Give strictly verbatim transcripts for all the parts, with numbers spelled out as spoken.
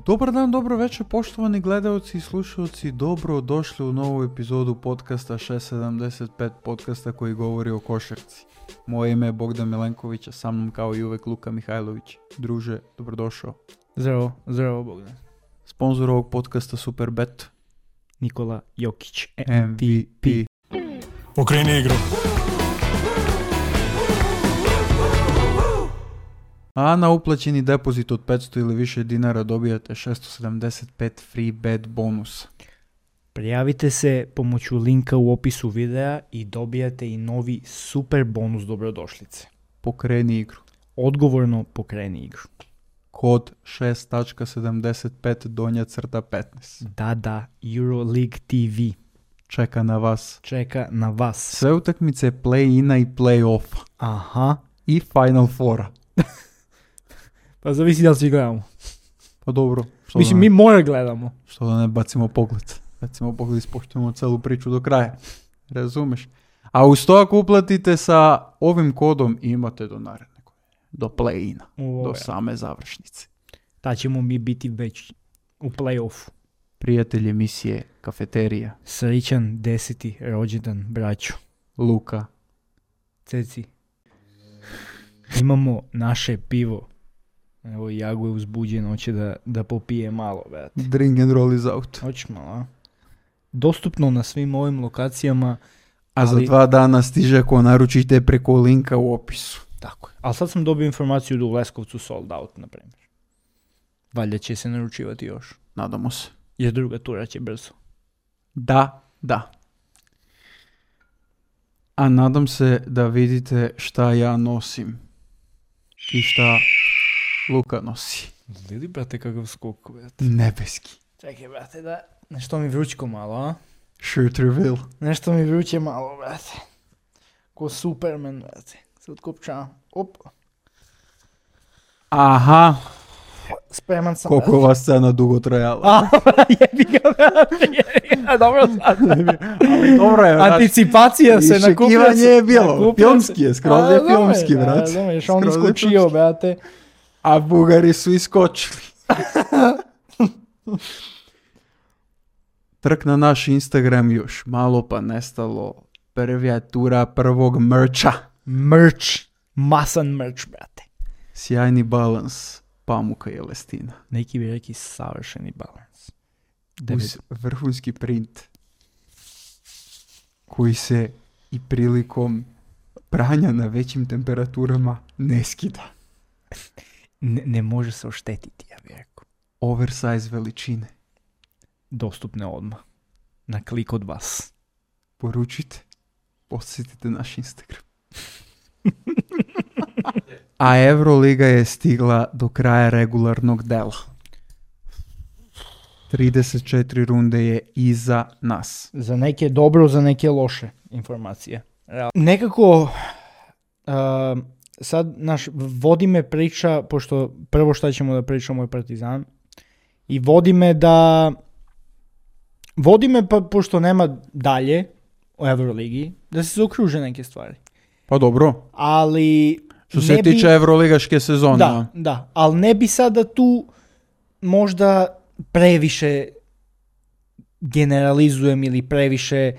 Dobar dan, dobro večer, poštovani gledalci i slušalci, dobro došli u novu epizodu podcasta šest sedamdeset pet, podcasta koji govori o košarci. Moje ime je Bogdan Milenković, a sa mnom kao i uvek Luka Mihajlović. Druže, dobrodošao. Zdravo, zdravo Bogdan. Sponzor ovog podcasta Superbet. Nikola Jokić, M V P. Okreni igru. A na uplaćeni depozit od petsto ili više dinara dobijate šesto sedamdeset pet free bet bonus. Prijavite se pomoću linka u opisu videa i dobijate i novi super bonus dobrodošlice. Pokreni igru. Odgovorno pokreni igru. Kod šest sedamdeset pet donja crta petnaest. Da, da, Euroleague T V Čeka na vas. čeka na vas. Sve utakmice play-ina i play-offa. Aha. I Final Foura. Pa zavisi da li svi gledamo. Pa dobro. Što Mislim, da mi ne, mora gledamo. što da ne bacimo pogled. Bacimo pogled i ispoštujemo celu priču do kraja. Razumeš? A uz to ako uplatite sa ovim kodom imate do naredne godine. Do play-ina. U, Do ja. same završnice. Ta ćemo mi biti već u play-offu. Prijatelj emisije Kafeterija. Srećan deseti rođendan, braću. Luka. Ceci. Imamo naše pivo. Evo, Jago je uzbuđen, hoće da, da popije malo, brate. Drink and roll is out. Hoćeš malo, a? Dostupno na svim ovim lokacijama. A za Ali- dva dana stiže ako naručite preko linka u opisu. Tako je. Ali sad sam dobio informaciju da u Leskovcu sold out, na primjer. Valjda će se naručivati još. Nadamo se. Jer druga tura će brzo. Da, da. A nadam se da vidite šta ja nosim. I šta Luka nosi. Vidi, brate, kakav skok, brate. Nebeski. Čekaj, brate, da... Nešto mi vrućko malo, a? Shirt reveal. Nešto mi vruće malo, brate. Ko Superman, brate. Se otkopčavam. Op. Aha, Spreman sam, koliko ova scena dugo trajala. A, jebi ga, brate, jebi ga, dobro sad. Ali dobro je, znaš, Anticipacija se nakupila. iščekivanje je bilo. nakupila Filmski se- je, skroz A, je dobro, filmski, da, brat. dobro, još on Skroz je iskočio, filmski. brate. A Bugari su iskočili. Trk na naš Instagram još malo pa nestalo. Prvija tura prvog merča. Merch, masan merch, brate. Sjajni balans pamuka i elestina. Neki bi rekli savršeni balans. Uz vrhunski print koji se i prilikom pranja na većim temperaturama ne skida. Ne, ne može se oštetiti, ja bih rekao. Oversize veličine. Dostupne odmah. Na klik od vas. Poručite. Posjetite naš Instagram. A Euroliga je stigla do kraja regularnog dela. trideset četiri runde je iza nas. Za neke dobro, za neke loše informacije. Real. Nekako, uh, sad naš, vodi me priča, pošto prvo šta ćemo da pričamo je Partizan, i vodi me da, vodi me pa, pošto nema dalje u Euroligi, da se zaokruže neke stvari. Pa dobro. Ali... Što se ne bi- tiče Euroligaške sezone. Da, da, ali ne bi sada tu možda previše generalizujem ili previše,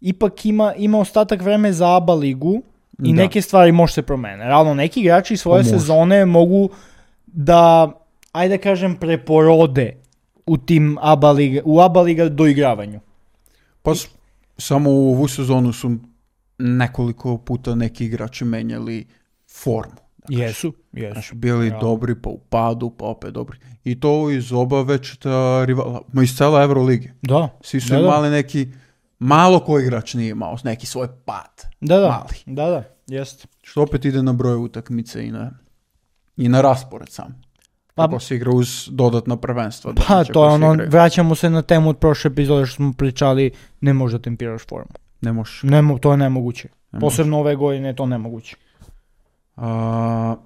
ipak ima, ima ostatak vreme za A B A ligu i Da. neke stvari može se promene. Realno, neki igrači svoje Pa može. sezone mogu da, ajde da kažem, preporode u tim A B A liga, u A B A liga doigravanju. Pa s- samo u ovu sezonu su nekoliko puta neki igrači menjali formu. Jesu, jesu. Znači, bili Realno. dobri, pa u padu, pa opet dobri. I to iz oba večita rivala, ma iz cele Eurolige. Da, Svi su Da, da. imali neki, malo koji igrač nije imao neki svoj pad. da, da, Mali. da, da, jeste. Što opet ide na broj utakmice i na, i na raspored sam. Pa- Kako se igra uz dodatna prvenstva. Pa domaća to je koja se ono, igraju. vraćamo se na temu od prošle epizode što smo pričali, ne možeš da tempiraš formu. Ne možeš. Ne, mo- to je nemoguće. Ne Posebno ove godine je to nemoguće. A,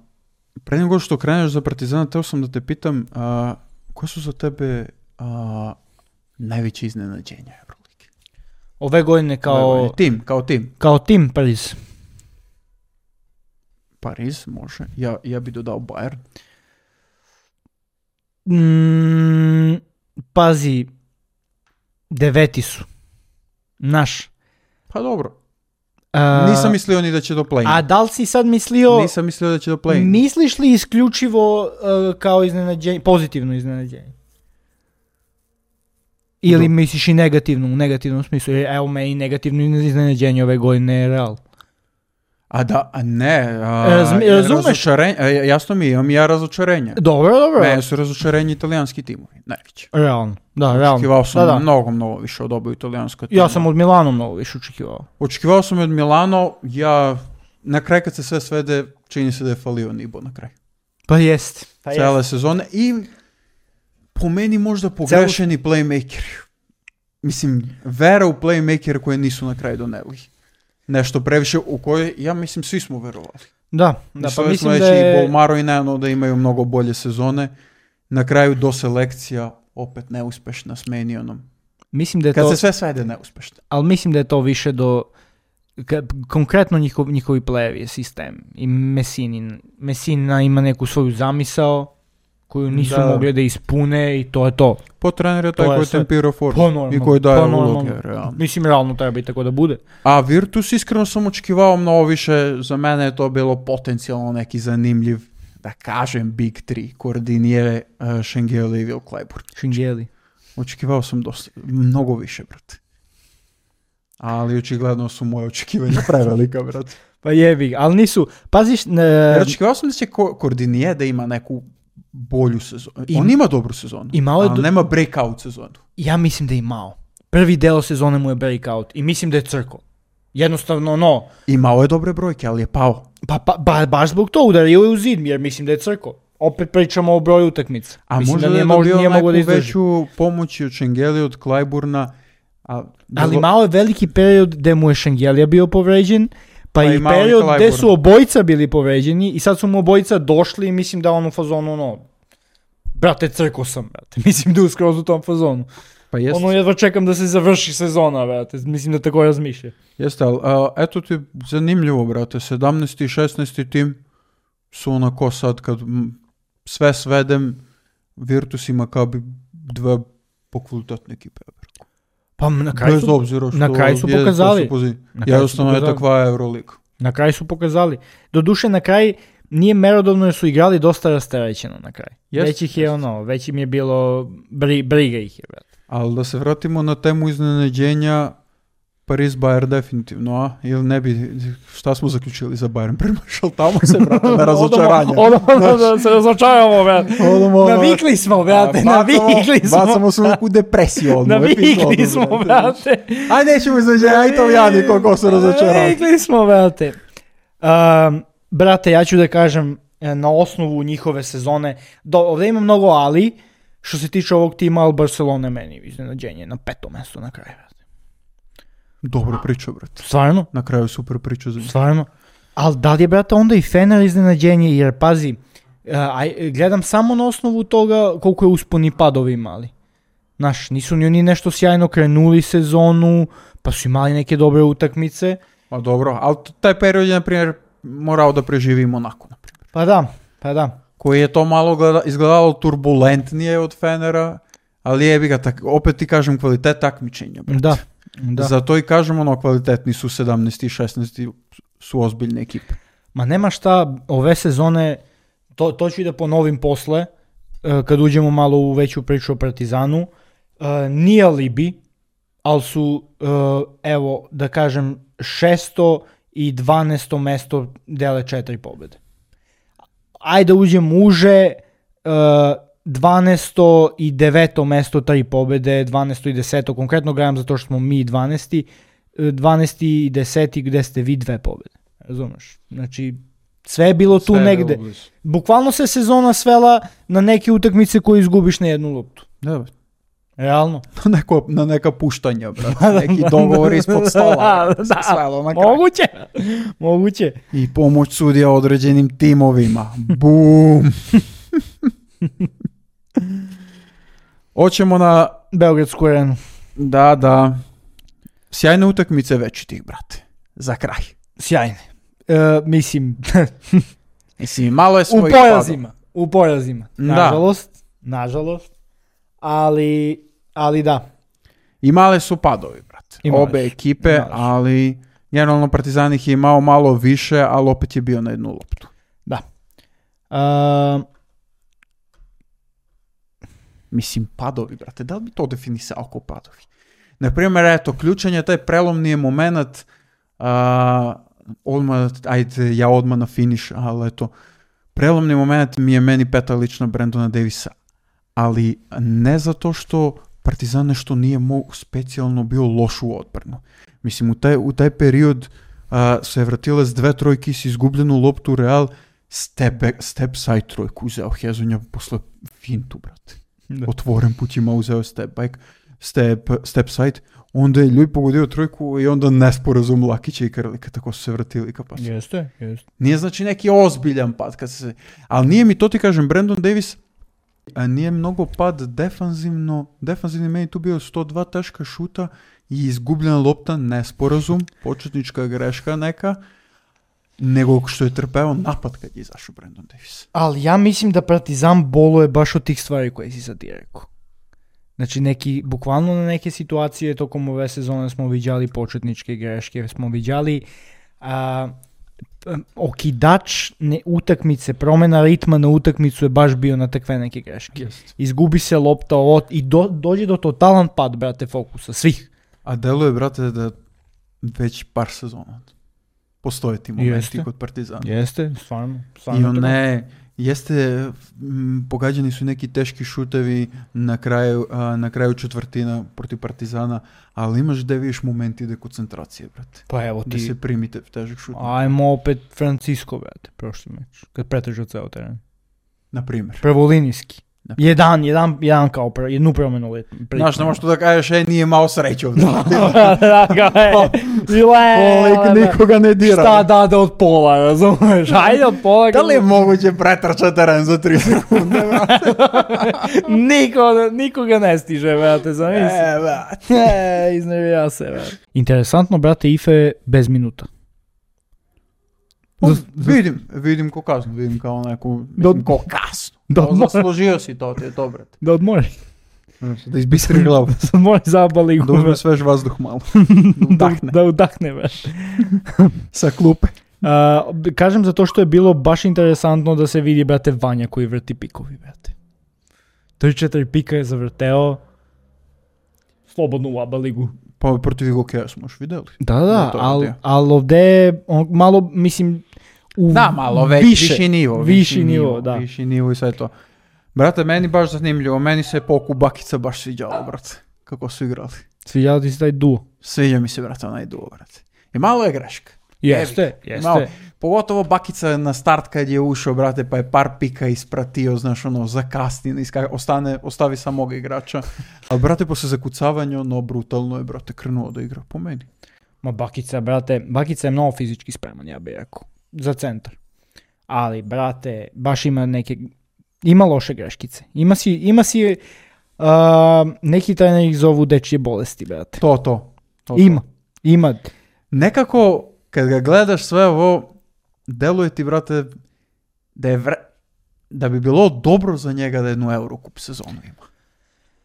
pre nego što kreneš za Partizana, teo sam da te pitam, a, koje su za tebe a, najveće iznenađenja Euroligi? Ove godine kao, Ove godine. Tim, kao tim. kao tim Pariz. Pariz, može. Ja, ja bi dodao Bayern. Mm, pazi, deveti su. Naš. Pa dobro. A, Nisam mislio ni da će do play-in. A da li si sad mislio... Nisam mislio da će do play-in. Misliš li isključivo uh, kao iznenađenje, pozitivno iznenađenje? Ili Do. misliš i negativno, u negativnom smislu? Jer evo me i negativno iznenađenje ove godine je Real. A da, a ne, a, Razmi- razumeš? razočarenje, a, jasno mi, imam ja razočarenje. Dobro, dobro. Mene su razočarenje italijanski timovi, najveći. Realno, da, realno. Očekivao sam da, da. mnogo, mnogo više od oba italijanska tima. Ja sam od Milana mnogo više očekivao. Očekivao sam i od Milano, ja, na kraj kad se sve svede, čini se da je falio Nibo na kraj. Pa jest. Pa Cijele sezone i po meni možda pogrešeni playmakeri. Mislim, vera u playmakere koje nisu na kraju doneli. Nešto previše u koje, ja mislim, svi smo verovali. Da, da, pa mislim smo da reći je... i Bolmaro i Neno da imaju mnogo bolje sezone. Na kraju do selekcija opet neuspešna s Menionom. Mislim da je Kad to... se sve svede neuspešno. Ali mislim da je to više do... Ka, konkretno njihov, njihovi playevi sistem. I Messini. Messina ima neku svoju zamisao koju nisu Da. mogli da ispune i to je to. Po trener je taj To je koji sve. tempira formu Pa normalno, i koji daje pa normalno. uloge. Realno. Mislim, realno treba i tako da bude. A Virtus iskreno sam očekivao mnogo više. Za mene je to bilo potencijalno neki zanimljiv, da kažem, Big Three. Koordinije, uh, Šengeli i Will Clyburn. Šingeli. Očekivao sam dosta, mnogo više, brate. Ali očigledno su moje očekivanja prevelika, brate. Pa jebi, ali nisu... Paziš... Ne, Jer očekivao sam da će ko- Koordinije da ima neku bolju sezonu. I- On ima dobru sezonu, I malo je ali do- nema breakout sezonu. ja mislim da je imao. Prvi deo sezone mu je breakout i mislim da je crko. Jednostavno, no. Imao je dobre brojke, ali je pao. Pa, pa ba, baš zbog to udario je u zid, jer mislim da je crko. Opet pričamo o broju utakmica. A mislim možda da da je nije, mož- dobio nije neku mogao da izdrži. veću pomoć i od Šengeli, od Clyburna. A, Ali bilo- malo je veliki period gde mu je Šengelija bio povređen, pa, Pa i i malo i period gde Clyburn. su obojica bili povređeni i sad su mu obojica došli i mislim da on u fazonu, ono, brate, crko sam, brate. Mislim da je skroz u tom fazonu. Pa jest, Ono, jedva čekam da se završi sezona, brate. Mislim da tako razmišlja. jeste, ali a, eto ti zanimljivo, brate. sedamnaesti i šesnaesti tim su onako sad kad m, sve svedem, Virtus ima kao bi dve pokvalitetne ekipe. Pa na kraju Bez su, obzira što na kraju su je- to pokazali. pozi- na kraju su Jednostavno je pokazali. takva Euroliga. Na kraju su pokazali. Doduše, na kraj nije merodavno jer su igrali dosta rasterećeno na kraj. Jest, već ih je jest. ono, već im je bilo, bri, briga ih je, brate. Ali da se vratimo na temu iznenađenja, Paris Bayern definitivno, a? Ili ne bi, šta smo zaključili za Bayern? Premašal tamo se, brate, na razočaranje. Odamo da se razočaramo, brate. Odamo, Navikli smo, brate, navikli smo. Bacamo se u depresiju odmah. Navikli smo, brate. Aj, nećemo iznenađenja, aj Italijani koliko su razočarani. Navikli smo, brate. Um, brate, ja ću da kažem, e, na osnovu njihove sezone, do, ovdje ima mnogo ali, što se tiče ovog tima, ali Barcelona je meni iznenađenje na petom mjestu na kraju, brate. Dobro priča, brate. Stvarno? Na kraju super priča za njih. Stvarno. Ali da li je, brate, onda i Fener iznenađenje, jer pazi, uh, aj, gledam samo na osnovu toga koliko je usponi padovi imali. Znaš, nisu ni oni nešto sjajno krenuli sezonu, pa su imali neke dobre utakmice. Pa dobro, ali t- taj period je, na primjer, morao da preživi Monako, na primjer. Pa da, pa da. Koji je to malo gleda, izgledalo turbulentnije od Fenera, ali jebi ga, tak, opet ti kažem kvalitet takmičenja, brate. Da, da. Zato i kažem ono, kvalitetni su sedamnaesti i šesnaesti su ozbiljne ekipe. Ma nema šta, ove sezone, to, to ću i da ponovim posle, uh, kad uđemo malo u veću priču o Partizanu, uh, nije alibi, ali su, uh, evo, da kažem, šesto i dvanaesto mesto dele četiri pobjede. Ajde da uđem uže, uh, dvanaesto i deveto mesto tri pobjede, dvanaesto i deseto, konkretno gledam zato što smo mi dvanaesti, dvanaesti i deseti gdje ste vi dve pobjede. Razumeš? Znači, sve je bilo tu Sve je negde. bilo blizu. Bukvalno se sezona svela na neke utakmice koje izgubiš na jednu loptu. Da, Realno. na, neko, na neka puštanja, brate. Neki dogovor ispod stola. Da, se da. svelo na kraj. Moguće. Moguće. I pomoć sudija određenim timovima. Bum! Hoćemo na... Beogradsku arenu. Da, da. Sjajne utakmice već tih, brate. Za kraj. Sjajne. E, mislim, Mislim, malo je u svojih porazima. U porazima. Da. Nažalost. nažalost, ali, ali da. Imale su padovi, brate. Imale Obe su, ekipe, imale su. ali generalno Partizan ih je imao malo više, ali opet je bio na jednu loptu. Da. Uh, Mislim, padovi, brate, da li bi to definisao kao padovi? Naprimjer, eto, ključan je taj prelomni moment, uh, odmah, ajde, ja odmah na finiš, ali eto, prelomni moment mi je meni peta lična Brandona Davisa, ali ne zato što Partizan nešto nije mo- specijalno bio loš u odbranu. Mislim, u taj, u taj period uh, se je vratila s dve trojke, si izgubljenu loptu Real, step, back, step side trojku uzeo Hezonja posle fintu, brate. Da. Otvoren put ima uzeo step back, step, step side, onda je Ljuj pogodio trojku i onda nesporazum Lakića i Krlika, tako su se vratili ka pasu. Jeste, jeste. Nije znači neki ozbiljan pad, kad se... ali nije mi to ti kažem, Brandon Davis a nije mnogo pad defanzivno, defanzivni meni tu bio sto dva teška šuta i izgubljena lopta, nesporazum, početnička greška neka, nego što je trpeo napad kad je izašao Brandon Davis. Ali ja mislim da Partizan boluje baš od tih stvari koje si sad ti rekao. Znači, neki, bukvalno na neke situacije tokom ove sezone smo viđali početničke greške, smo viđali a, okidač ne, utakmice, promjena ritma na utakmicu je baš bio na takve neke greške. Jest. Izgubi se lopta ovo, i do, dođe do totalan pad, brate, fokusa, svih. A deluje, brate, da već par sezona postoje ti momenti Jeste. kod Partizana. Jeste, stvarno. stvarno I tako. one, jeste, m, pogađani su neki teški šutevi na kraju, a, na kraju četvrtina protiv Partizana, ali imaš da vidiš momenti de koncentracije, brate. Pa evo Da ti, se primite težak šut. ajmo opet Francisco, brate, prošli meč, kad pretežu ceo teren. Na primjer. Prvolinijski. Na Jedan, jedan, jedan kao pre, jednu promjenu let. Znaš, ne možeš to da kažeš, ej, nije imao sreću. da, ga je. Lik nikoga ne dira. Šta da da od pola, razumeš? Ajde od pola. Da li je moguće pretrčati teren za tri sekunde, brate? Niko, nikoga ne stiže, brate, zamisli. E, brate. E, iznervija se, brate. Interesantno, brate, Ife bez minuta. Pa, Zas- vidim, vidim ko kasno, vidim kao neku, Da- mislim, ko kasno. Da Kao odmori. zaslužio si to, ti je to, brate. Da odmori. Da izbistri glavu. Da odmori zaba ligu. Da uzme svež vazduh malo. Da Da, udahne. da udahne, brate. Sa klupe. Uh, b- kažem zato što je bilo baš interesantno da se vidi, brate, Vanja koji vrti pikovi, brate. tri četiri pika je zavrteo slobodno u Aba ligu. Pa protiv Igokeja smo još vidjeli. Da, Da, da, to je ali radio. al ovdje on, malo, mislim, u Da, malo već, više, viši nivo. Viši nivo, da. Viši nivo i sve to. Brate, meni baš zanimljivo. Meni se Poku Bakica baš sviđalo, brate. Kako su igrali. Sviđao ti se taj duo? Sviđa mi se, brate, onaj duo, brate. I malo je greška. Jeste, Jebi. jeste. Malo, pogotovo Bakica na start kad je ušao, brate, pa je par pika ispratio, znaš, ono, zakasni, iska, ostane, ostavi samog igrača. Ali, brate, posle zakucavanja, ono, brutalno je, brate, krenuo da igra po meni. Ma Bakica, brate, Bakica je mnogo fizički spreman, ja bih rekao, za centar. Ali, brate, baš ima neke, ima loše greškice. Ima si, ima si, uh, neki treneri ih zovu dečje bolesti, brate. To, to. to, to. Ima, ima. Nekako, kad ga gledaš sve ovo, deluje ti, brate, da je vre... da bi bilo dobro za njega da jednu Eurocup sezonu ima.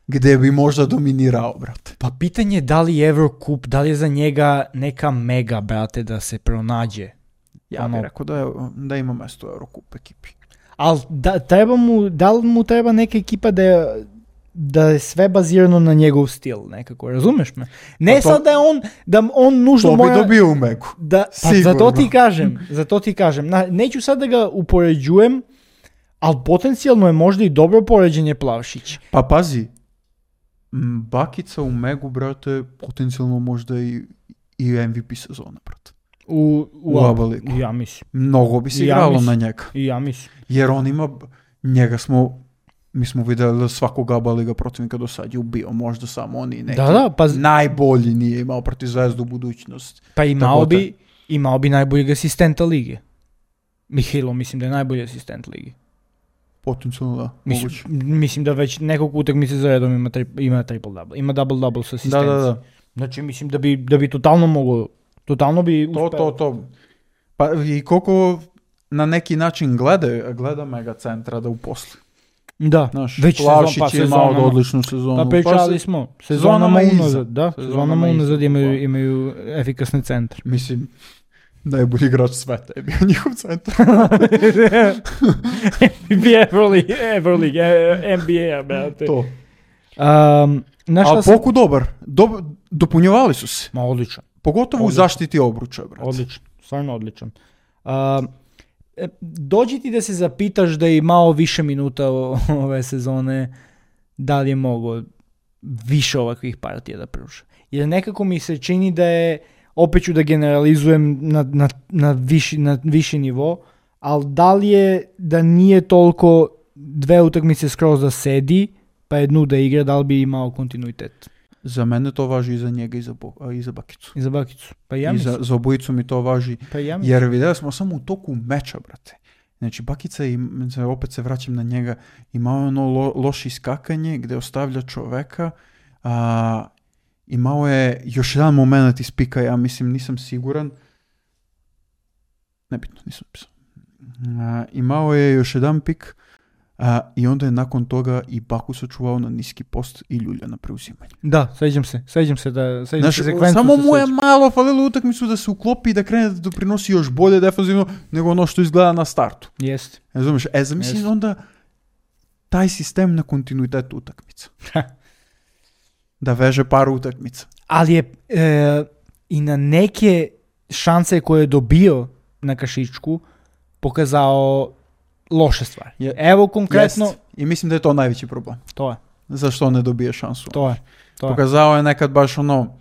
Gde bi možda dominirao, brate. Pa pitanje je da li je Eurocup, da li je za njega neka mega, brate, da se pronađe. Ja Ono- bih rekao da, je, da ima mesto u Eurocup ekipi. Ali da, treba mu, da li mu treba neka ekipa da je, da je sve bazirano na njegov stil nekako, razumeš me? Ne Pa to- sad da je on, da on nužno To bi mora... dobio u Megu. Da, pa Sigurno. za to ti kažem, za to ti kažem. Na, neću sad da ga upoređujem, ali potencijalno je možda i dobro poređenje Plavšić. Pa pazi, m, Bakica u Megu, brate, potencijalno možda i, i M V P sezona, brate. U, u, U Aba. Aba ligu. Ja mislim. Mnogo bi se Ja igralo mislim. na njega. I ja mislim. Jer on ima, njega smo, mi smo vidjeli da svakog Aba liga protivnika do sad je ubio, možda samo oni neki. Da, da, pa, Najbolji nije imao protiv Zvezdu u budućnost. pa imao Tako bi, imao bi najboljeg asistenta lige. Mihajlo, mislim da je najbolji asistent lige. Potencijalno da, Mislim, moguće. mislim da već nekoliko utakmice za redom ima, tri, ima triple double. Ima double double sa Da, asistencijom. da, da. Znači mislim da bi, da bi totalno moglo, totalno bi To, uspeo. to, to. Pa i koliko na neki način gleda, gleda Mega centra da uposli. Da, Znaš, već Plavšić sezon, pa je imao sezonama. odličnu sezonu. Pa pričali se- smo, sezonama sezonama iza. unazad, da, Sezonama sezonama iza, unazad imaju, bukvalno. imaju efikasni centar. Mislim, najbolji igrač sveta je bio njihov centar. N B A, Everleague, Everleague, N B A, brate. To. Um, znaš šta A sam- Poku dobar. Dob- dopunjavali su se. Ma odličan, Pogotovo u Odlično. zaštiti obruča, brate. odličan, stvarno odličan. Um, e, dođi ti da se zapitaš da je imao više minuta o- ove sezone, da li je mogao više ovakvih partija da pruža. Jer nekako mi se čini da je, opet ću da generalizujem na, na, na, viši, na viši nivo, ali da li je da nije toliko dve utakmice skroz da sedi, pa jednu da igra, da li bi imao kontinuitet? Za mene to važi i za njega i za, Bo- a, i za Bakicu. I za Bakicu. Pa ja I mislim. za, za obojicu mi to važi. Pa ja mislim. Jer vidjeli smo samo u toku meča, brate. Znači, Bakica, i, opet se vraćam na njega, imao je ono lo, loše iskakanje gdje ostavlja čoveka. A, imao je još jedan moment iz pika, ja mislim, nisam siguran. Nebitno, nisam pisao. A, imao je još jedan pik a, i onda je nakon toga i Baku sačuvao na niski post i ljulja na preuzimanje. Da, sećam se. Sećam se da sećam Znaš, se sekvencu. samo se mu je sećam. malo falilo utakmicu da se uklopi i da krene da doprinosi još bolje defanzivno nego ono što izgleda na startu. Jeste. Razumiješ? E, zamisli Jeste. onda taj sistem na kontinuitetu utakmica. Da veže par utakmica. Ali je e, i na neke šanse koje je dobio na kašičku pokazao loše stvari. Je- Evo konkretno, Jest. I mislim da je to najveći problem. to je, Zašto on ne dobije šansu? to je. To je. Pokazao je nekad baš ono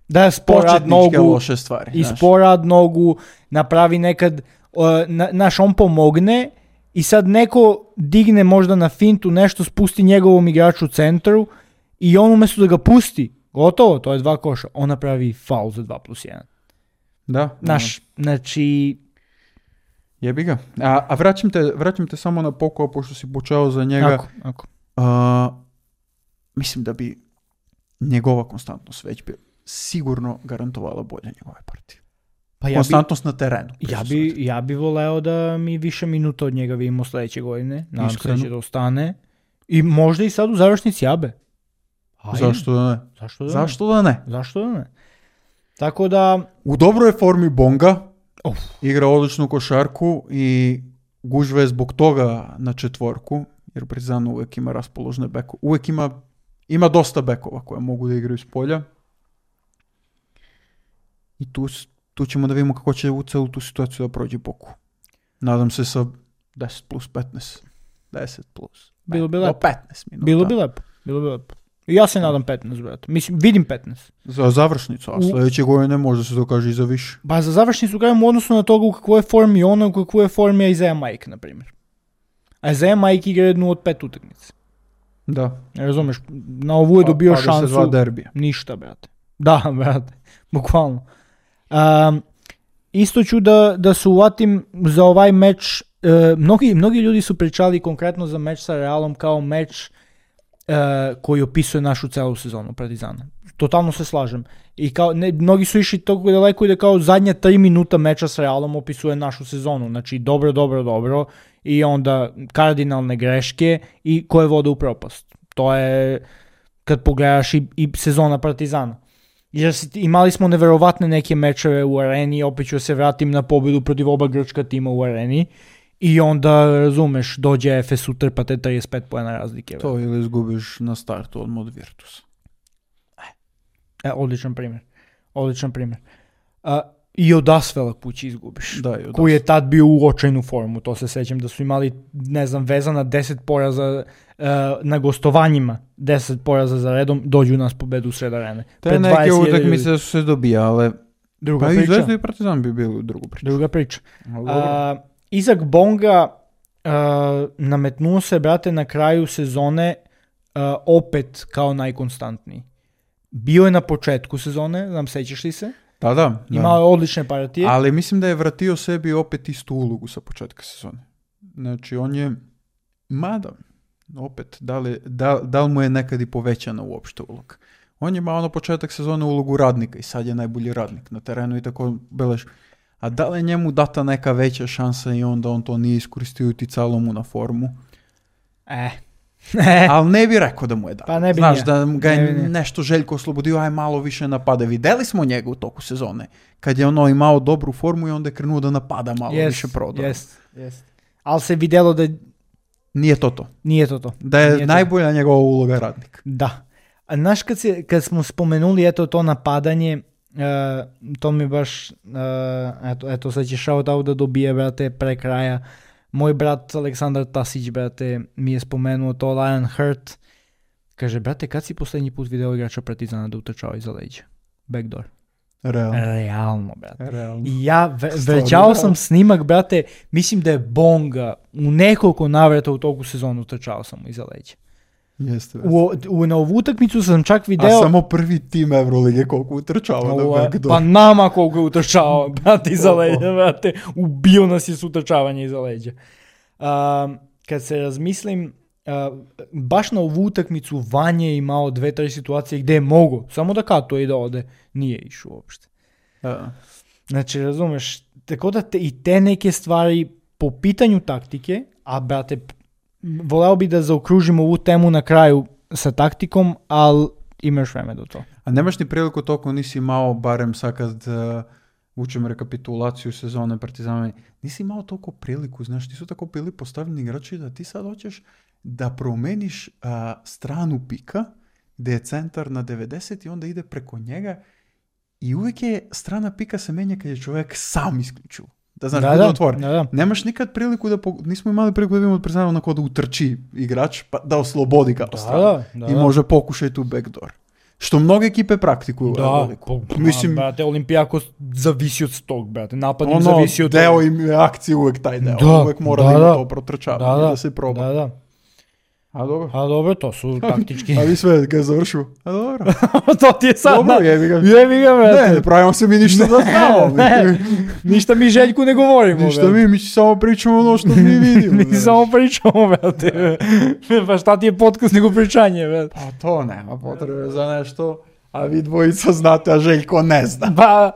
Da je sporad početničke nogu, loše stvari. i znaš. sporad nogu, napravi nekad, uh, na, naš on pomogne i sad neko digne možda na fintu, nešto spusti njegovom igraču u centru i on umjesto da ga pusti, gotovo, to je dva koša, on napravi faul za dva plus jedan. Da. Naš, znači, Jebi ga. A, a vraćam, te, vraćam te samo na Poku, pošto si počeo za njega. ako, ako. A, mislim da bi njegova konstantnost već bi sigurno garantovala bolje njegove partije. Pa ja bi, Konstantnost na terenu. ja, bi, ja bi voleo da mi više minuta od njega vidimo sljedeće godine. Nadam Iskreno. se da će da ostane. I možda i sad u završnici Abe. Ajde. Zašto da ne? Zašto da ne? Zašto da ne? Zašto da ne? Tako da, U dobroj je formi Bonga, Uf. igra odličnu košarku i gužve je zbog toga na četvorku, jer Partizan uvijek ima raspoložne bekove. Uvijek ima, ima dosta bekova koje mogu da igraju s polja. I tu, s- tu ćemo da vidimo kako će u celu tu situaciju da prođe Poku. Nadam se sa deset plus petnaest. deset plus. Bilo bi do lepo. petnaest minuta. bilo bi lepo. Bilo bi lepo. I ja se nadam petnaest, brate. Mislim, vidim petnaest. Za završnicu, a U- sljedeće godine možda se dokaže i za više. Pa za završnicu kažem u odnosu na toga u kakvoj je formi ona, u kakvoj je formi Isaiah Mike, na primjer. A Isaiah Mike igra jednu od pet utakmice. Da. Razumeš, na ovu je dobio Pa- pa da se dva šansu. derbija. Ništa, brate. Da, brate. Bukvalno. Um, isto ću da, da se uvatim za ovaj meč. e, mnogi, mnogi ljudi su pričali konkretno za meč sa Realom kao meč e, koji opisuje našu celu sezonu Partizana. Totalno se slažem. I kao, ne, mnogi su išli toliko daleko i da kao zadnja tri minuta meča sa Realom opisuje našu sezonu. Znači dobro, dobro, dobro i onda kardinalne greške i koje vode u propast. To je kad pogledaš i, i sezona Partizana. Jer si- imali smo neverovatne neke mečeve u areni, opet ću se vratim na pobjedu protiv oba grčka tima u areni i onda, razumeš, dođe Efes utrpate trideset pet poena razlike. To ili izgubiš na startu odmah od Virtusa. E, odličan primjer. Odličan primjer. A, I od Asvela kući izgubiš. Da, i od Koji je tad bio u očajnu formu. To se sećam da su imali, ne znam, vezana deset poraza uh, na gostovanjima. deset poraza za redom, dođu nas pobedu u sred arene. Te Pred neke dvadeset hiljada ljudi. utakmice su se dobijale. Druga Pa i priča. Zvezda i Partizan bi bili u drugu priču. Druga priča. Ali dobro. A, Izak Bonga a, nametnuo se, brate, na kraju sezone a, opet kao najkonstantniji. Bio je na početku sezone, znam, sećaš li se? Da, da. da. Imao je odlične partije. Ali mislim da je vratio sebi opet istu ulogu sa početka sezone. Znači, on je, mada, opet, da li, da, da li mu je nekad i povećana uopšte uloga. On je imao na početak sezone ulogu radnika i sad je najbolji radnik na terenu i tako beleš. A da li je njemu data neka veća šansa i onda on to nije iskoristio i uticalo mu na formu? E, Ali ne bi rekao da mu je dao. Pa ne bi Znaš, nije. da ga je Ne bi nije. nešto Željko oslobodio, aj malo više napade. Videli smo njega u toku sezone. Kad je ono imao dobru formu i onda je krenuo da napada malo Yes, više prodora. yes, yes. Ali se vidjelo da Nije to to. nije to to. Da je Nije to. najbolja njegova uloga radnik. Da. A znaš, kad, se, kad smo spomenuli eto to napadanje, uh, to mi baš, uh, eto, eto sad će shout out da dobije, brate, pre kraja. Moj brat Aleksandar Tasić, brate, mi je spomenuo to, Lion Hurt. Kaže, brate, kad si posljednji put video igrača Partizana da utrčao iza leđa? Backdoor. Realno. Realno, brate. Realno. I ja ve- Stvarno, vrećao da. sam snimak, brate, mislim da je Bonga u nekoliko navrata u toku sezonu utrčao sam mu iza leđa. Jeste. U, u, na ovu utakmicu sam čak video... A samo prvi tim Evrolige koliko utrčava na Ova, backdoor. pa nama koliko je utrčao, brate, iza Oho. leđa, brate, ubio nas je s utrčavanja iza leđa. Um, kad se razmislim, uh, baš na ovu utakmicu Vanja je imao dve, tri situacije gdje je mogo, samo da katuje i da ode, nije išao uopšte. Da. Znači, razumeš, tako da te, i te neke stvari po pitanju taktike, a brate, voleo bi da zaokružimo ovu temu na kraju sa taktikom, ali imaš vreme do to. A nemaš ni priliku toliko nisi imao, barem sad kad uh, učem rekapitulaciju sezone Partizana, nisi imao toliko priliku, znaš, nisu tako bili postavljeni igrači da ti sad hoćeš da promeniš uh, stranu pika, gdje je centar na devedeset i onda ide preko njega i uvijek je strana pika se menja kad je čovjek sam isključio. Da znaš, Da, bude da, otvoren. da, da. Nemaš nikad priliku da, po- nismo imali priliku da vidimo od Partizana onako da utrči igrač, pa da oslobodi kao Da, stranu. da, da, I da. može pokušati u backdoor. Što mnoge ekipe praktikuju. u Da, Euroligu. pa, Mislim, brate, Olimpijako zavisi od tog, brate, napad im ono, zavisi od deo toga. im je akcije uvek taj deo. Da, uvek mora da, da, ima da. to protrčavanje, Da, da, da, se proba. Da, da. A dobro. A dobro, to su taktički. A vi sve ga završu. A dobro. To ti je sad. Dobro, na- jebi ga. Jebi ga, brate. Ne, ne pravimo se mi ništa da znamo. Ne, ništa mi Željku ne govorimo. Ništa brate. mi, mi samo pričamo ono što mi vidimo. Mi znaš. samo pričamo, brate. Pa šta ti je podcast nego pričanje, brate. Pa to nema potrebe za nešto. A vi dvojica znate, a Željko ne zna. Pa,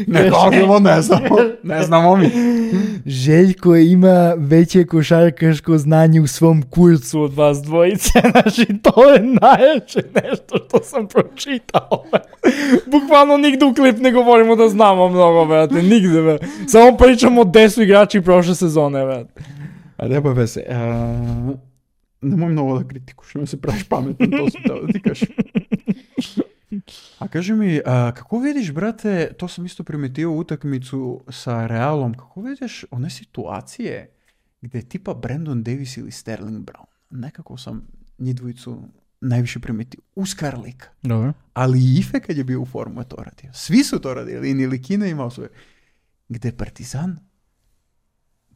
Ne kažemo, ne znamo. Ne znamo mi. Željko ima veće košarkaško znanje u svom kurcu od vas dvojice, znači to je najjače nešto što sam pročitao. Bukvalno nigde u klip ne govorimo da znamo mnogo, brate, nigde, brate. Samo pričamo gde su igrači prošle sezone, brate. A nema veze. Uh, nemoj mnogo da kritikuš, nemoj se praviš pametan, to sam teo da ti kažem. A kaži mi, a, kako vidiš, brate, to sam isto primetio utakmicu sa Realom, kako vidiš one situacije gdje tipa Brandon Davis ili Sterling Brown, nekako sam njih dvojicu najviše primetio, uskar lika. Dobro. Ali i Ife kad je bio u formu je to radio. Svi su to radili, i Nilikina imao svoje. Gdje Partizan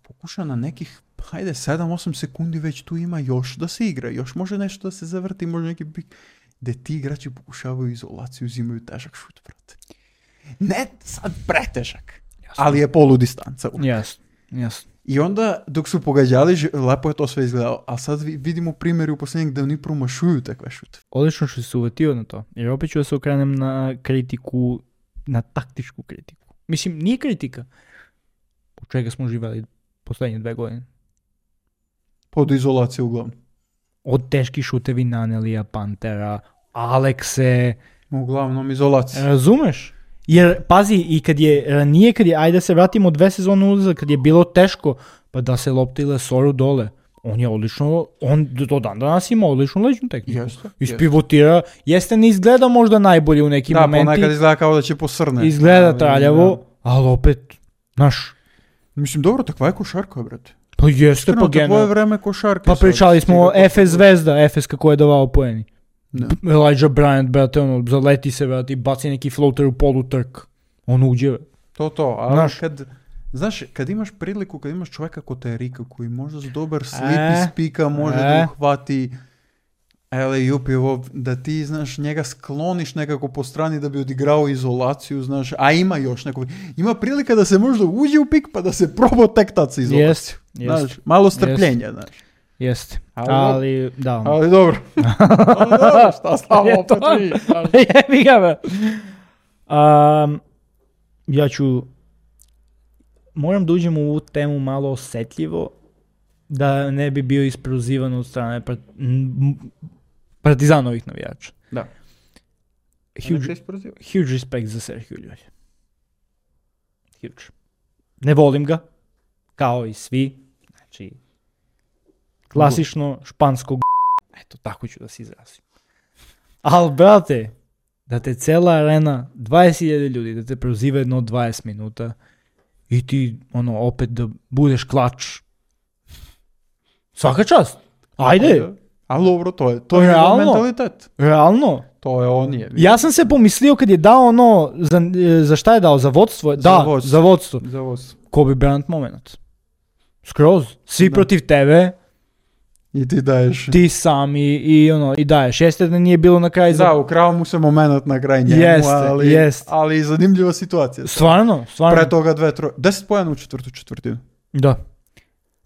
pokuša na nekih, hajde, sedam osam sekundi već tu ima još da se igra, još može nešto da se zavrti, može neki pik, gdje ti igrači pokušavaju izolaciju, uzimaju težak šut, brate. Ne sad pretežak, Jasno. ali je polu distanca. Jasno, jasno. I onda, dok su pogađali, ž- lepo je to sve izgledalo, a sad vi- vidimo primjeri u posljednjeg da oni promašuju takve šute. Odlično što si se uvetio na to, jer opet ću da se okrenem na kritiku, na taktičku kritiku. Mislim, nije kritika. Po čega smo živali posljednje dve godine. Pod izolacije uglavnom. Od teški šutevi Nanelija, Pantera, Alekse, Uglavnom izolacija. razumeš? Jer, pazi, i kad je ranije, kad je, ajde da se vratimo dve sezone unazad, kad je bilo teško, pa da se lopti Lesoru dole, on je odlično, on do dan danas ima odličnu leđnu tehniku. Jeste, Ispivotira, jeste ne izgleda možda najbolje u nekim Da, momenti, ponekad izgleda kao da će posrne. izgleda Ali, traljavo, da. ali opet, znaš, Mislim, dobro, takva je košarka, brate. pa jeste Iskreno, pa to tvoje generalno. vreme košarke. Pa sad, pričali smo o stiga F S Zvezda, F S kako je davao poeni. Da. Elijah Bryant, brate, ono, zaleti se, brate, i baci neki floater u polu trk. On uđe. To, to, ali Znaš. kad, znaš, kad imaš priliku, kad imaš čovjeka ko te Rika, koji možda s dobar slip E, iz pika može e. da uhvati alley-oop i ovo, da ti, znaš, njega skloniš nekako po strani da bi odigrao izolaciju, znaš, a ima još neko, ima prilika da se možda uđe u pik pa da se proba tek tad sa izolaciju. Jest, jest. Znaš, malo strpljenja, znaš. Jeste. Ali Ali, da. Ali dobro. Ali dobro, šta stavo Je to. opet vi, znaš. Jebi ga, be. Um, ja ću... Moram da uđem u ovu temu malo osjetljivo, da ne bi bio isprozivan od strane part, m, Partizanovih navijača. Da. Huge, huge respect za Sergio Llull. Huge. Ne volim ga, kao i svi. Znači, klasično špansko g***. Eto, tako ću da se izrazim. Ali, brate, da te cela arena, dvadeset hiljada ljudi, da te proziva jedno dvadeset minuta i ti, ono, opet da budeš klač. Svaka čast. Ajde. Ali dobro, to je, to je Realno? mentalitet. Realno. To je on je. Ja sam se pomislio kad je dao ono, za, za šta je dao, za vodstvo? Da, vodstvo. za vodstvo. Za vas. Kobe Bryant moment. Skroz. Svi Da. protiv tebe, I ti daješ. ti sam i, i ono, i daješ. Jeste da nije bilo na kraju za... Da, ukrao mu se moment na kraj njemu, Jeste, ali, jeste. ali zanimljiva situacija. Stvarno, stvarno. Pre toga dve, troje, deset pojena u četvrtu četvrtinu. Da.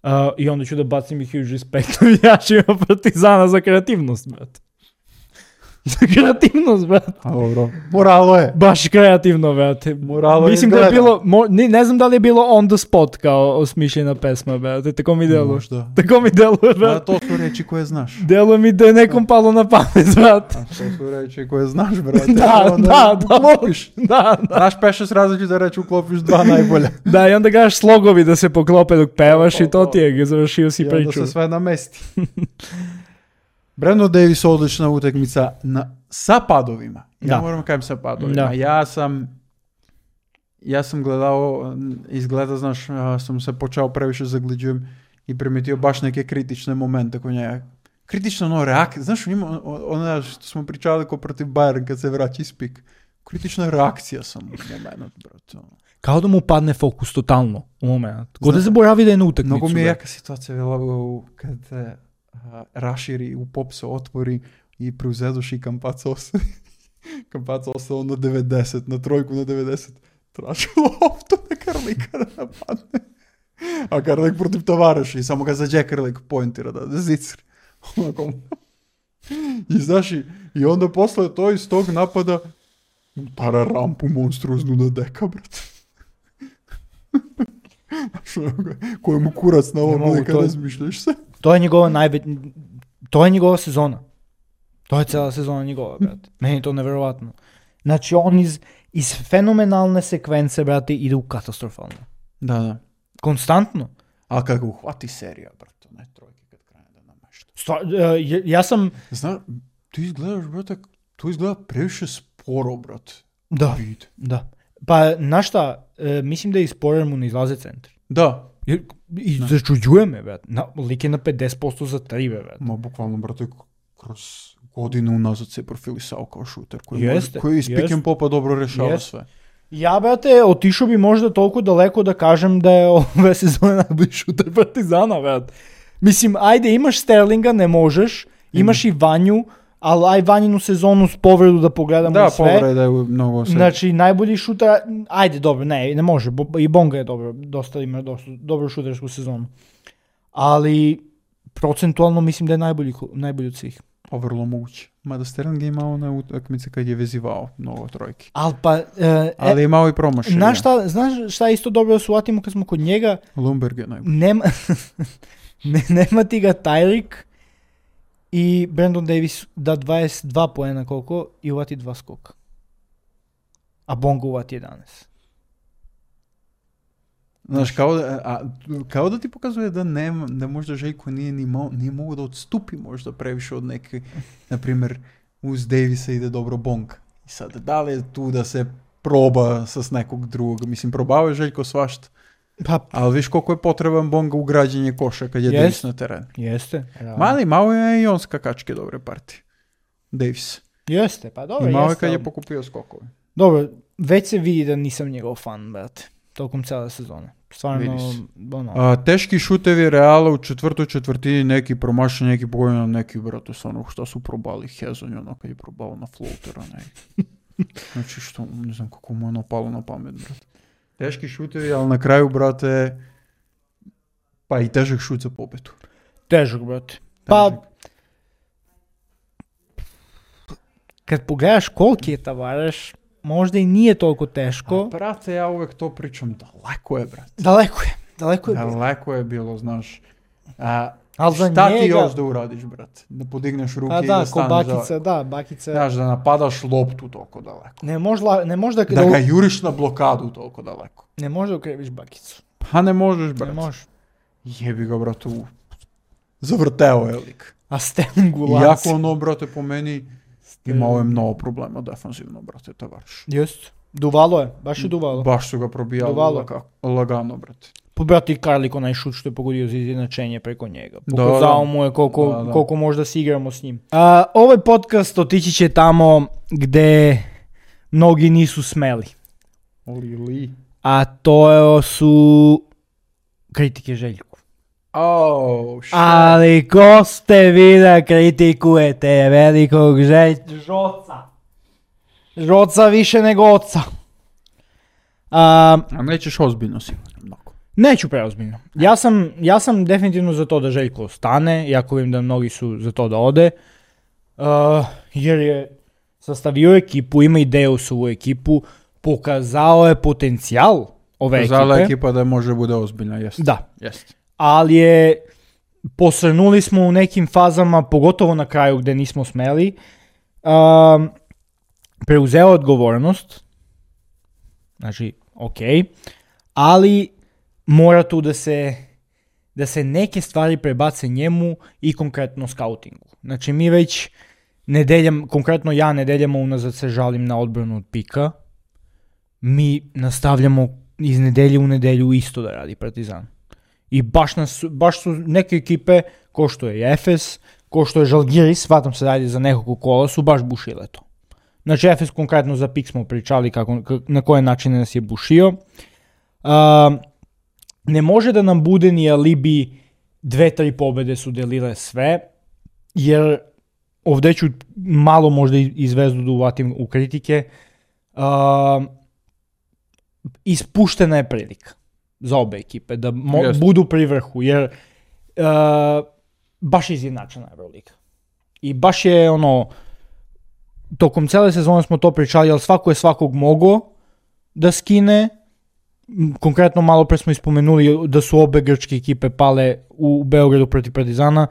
Uh, I onda ću da bacim i huge respect navijačima Partizana za kreativnost, brate. Za kreativnost, brate. A dobro, moralo je. Baš kreativno, brate. Moralo Mislim izgleda. da je bilo, mo, ne, ne znam da li je bilo on the spot kao osmišljena pesma, brate. Tako mi deluje. Možda. Tako mi deluje, A brate. to su reči koje znaš. Deluje mi da je nekom palo na pamet, brate. A to su reči koje znaš, brate. Da, Onda da, da. uklopiš. Da, da. Znaš pešest različite reči, uklopiš dva najbolja. Da, i onda gaš slogovi da se poklope dok pevaš i to ti je, završio si I onda priču. se sve namesti. Brandon Davis odlična utakmica na, sa padovima. Ja Da. moram kajem sa padovima. Da. Ja sam ja sam gledao, izgleda, znaš, ja sam se počeo previše zagliđujem i primetio baš neke kritične momente kod njega. Kritično ono reakcija, znaš, u njima, ono što smo pričali ko protiv Bayern kad se vraća iz pik. Kritična reakcija sam u moment, brate. Kao da mu padne fokus totalno u moment. Ko da Zna- zaboravi da je na utakmicu. Mnogo mi je brate. jaka situacija bila u- kad se a, raširi, u pop se otvori i preuzedoš i Campazzo ostane. Campazzo ostao na devedeset, na trojku na devedeset. Traži loptu na Karlika da napadne. A Karlik protiv Tavareša i samo ga zađe Karlik pointira da da zicri. Onako. I znaš, i, i onda posle to iz tog napada para rampu monstruoznu na deka, brate. Znaš, onako, kojemu kurac na Ne ovom mogu, neka to je- razmišljaš se. To je njegova najveć... To je njegova sezona. To je cijela sezona njegova, brate. Meni je to neverovatno. Znači, on iz, iz fenomenalne sekvence, brate, ide u katastrofalno. Da, da. Konstantno. A kad ga uhvati serija, brate, ne trojke kad krene da namešta. Stvar, e, ja- ja sam... Znaš, ti izgledaš, brate, to izgleda previše sporo, brate. Da, Vid. da. Pa, znaš šta, e, mislim da iz Sporer mu ne izlaze centri. Da. Jer, I Da. začuđuje me, brate. Na, lik je na pedeset posto za tri, brate. Ma, bukvalno, brate, k- kroz godinu unazad se profilisao kao šuter koji, Jeste, može, koji iz pick jeste. and popa dobro rešava Jeste. sve. Ja, brate, otišao bi možda toliko daleko da kažem da je ove sezone najbolji šuter Partizana, brate. Mislim, ajde, imaš Sterlinga, ne možeš, imaš i Vanju, ali aj Vanjinu sezonu s povredu da pogledamo Da, sve. povreda je mnogo sve. Znači, najbolji šuter, ajde, dobro, ne, ne može, bo- i Bonga je dobro, dosta ima dosta, dobro šutersku sezonu. Ali, procentualno mislim da je najbolji, ko- najbolji od svih. Pa vrlo moguće. Mada Sterling je imao na utakmice kad je vezivao mnogo trojki. Ali pa, e, Ali je imao i promašaja. znaš šta, znaš šta je isto dobro da shvatimo kad smo kod njega? Lumberg je najbolji. Nema, ne, nema ti ga Tyreek i Brandon Davis da dvadeset dva poena koliko i uvati dva skoka. A Bonga uvati jedanaest. Znaš, kao da, a, kao da ti pokazuje da nema, da možda Željko nije ni mo, nije mogao da odstupi možda previše od neke, na primjer, uz Davisa ide dobro Bong. I sad, da li je tu da se proba sa s nekog drugog? Mislim, probao je Željko svašta, Pa, ali viš koliko je potreban Bonga u građenje koša kad je Jest. Davis na terenu. jeste. realno. Mali, malo je i on skakačke dobre partije. Davis. Jeste, pa dobro, I malo je jeste. kad je ali- pokupio skokove. Dobro, već se vidi da nisam njegov fan, brate. Tokom cijele sezone. Stvarno, Vidi se. ono, A, teški šutevi Reala u četvrtoj četvrtini, neki promašen, neki pogođen, neki, brate, stvarno, šta su probali Hezonj, ono kad je probao na floatera, ne. Znači, što, ne znam kako mu je ono palo na pamet, brate. Teški šutevi, ali na kraju, brate, pa i težak šut za pobedu. težak, brate. Pa, Težak. kad pogledaš koliki je Tavares, možda i nije toliko teško. A, brate, ja uvek to pričam, daleko je, brate. Daleko je, daleko je bilo. Daleko je bilo, znaš. A, Al za šta ti njega- još da uradiš, brate? Da podigneš ruke Pa i da, da ko staneš bakica, za... da, bakica. Znaš, da napadaš loptu toliko daleko. Ne možda, ne možda, Da ga juriš na blokadu toliko daleko. ne možda ukreviš bakicu. Pa ne možeš, Ne brate. možeš. Jebi ga, brate, u... Zavrteo je lik. A Stengu Iako ono, brate, po meni imao je mnogo problema defanzivno, brate, Tavares. Jest. Duvalo je, baš je duvalo. Baš su ga probijali Duvalo. laga, lagano, brate. Pa brati Karlik, onaj šut što je pogodio za izjednačenje preko njega. Da, Pokazao da. mu je koliko, Da, da. koliko možda se igramo s njim. A, ovaj podcast otići će tamo gde mnogi nisu smeli. Oli li. A to su kritike Željku. Oh, shit. Ali ko ste vi da kritikujete velikog Želj- Žoca? Žoca više nego oca. A, A nećeš ozbiljno sigurno. Mnogo. Neću preozbiljno. Ja sam, ja sam definitivno za to da Željko ostane, iako vidim da mnogi su za to da ode, uh, jer je sastavio ekipu, ima ideju u svoju ekipu, pokazao je potencijal ove Zala ekipe, ekipa da može bude ozbiljna, jest. da, Jest. ali je posrnuli smo u nekim fazama, pogotovo na kraju gde nismo smeli, um, preuzeo odgovornost, znači, ok, ali mora tu da se, da se neke stvari prebace njemu i konkretno skautingu. Znači mi već nedeljam, konkretno ja nedeljama unazad se žalim na odbranu od pika. Mi nastavljamo iz nedelje u nedelju isto da radi Partizan. I baš, nas, baš su neke ekipe, ko što je Efes, ko što je Žalgiris, shvatam se radi za nekog kola, su baš bušile to. Znači Efes konkretno za pik smo pričali kako, na koje načine nas je bušio. Um, Ne može da nam bude ni alibi dve, tri pobede su delile sve, jer ovdje ću malo možda i Zvezdu da uvatim u kritike. Uh, ispuštena je prilika za obe ekipe da mo- Jest. budu pri vrhu, jer uh, baš je izjednačena Euroliga. I baš je ono, tokom cele sezone smo to pričali, ali svako je svakog mogao da skine. Konkretno malo pre smo ispomenuli da su obe grčke ekipe pale u Beogradu protiv Partizana.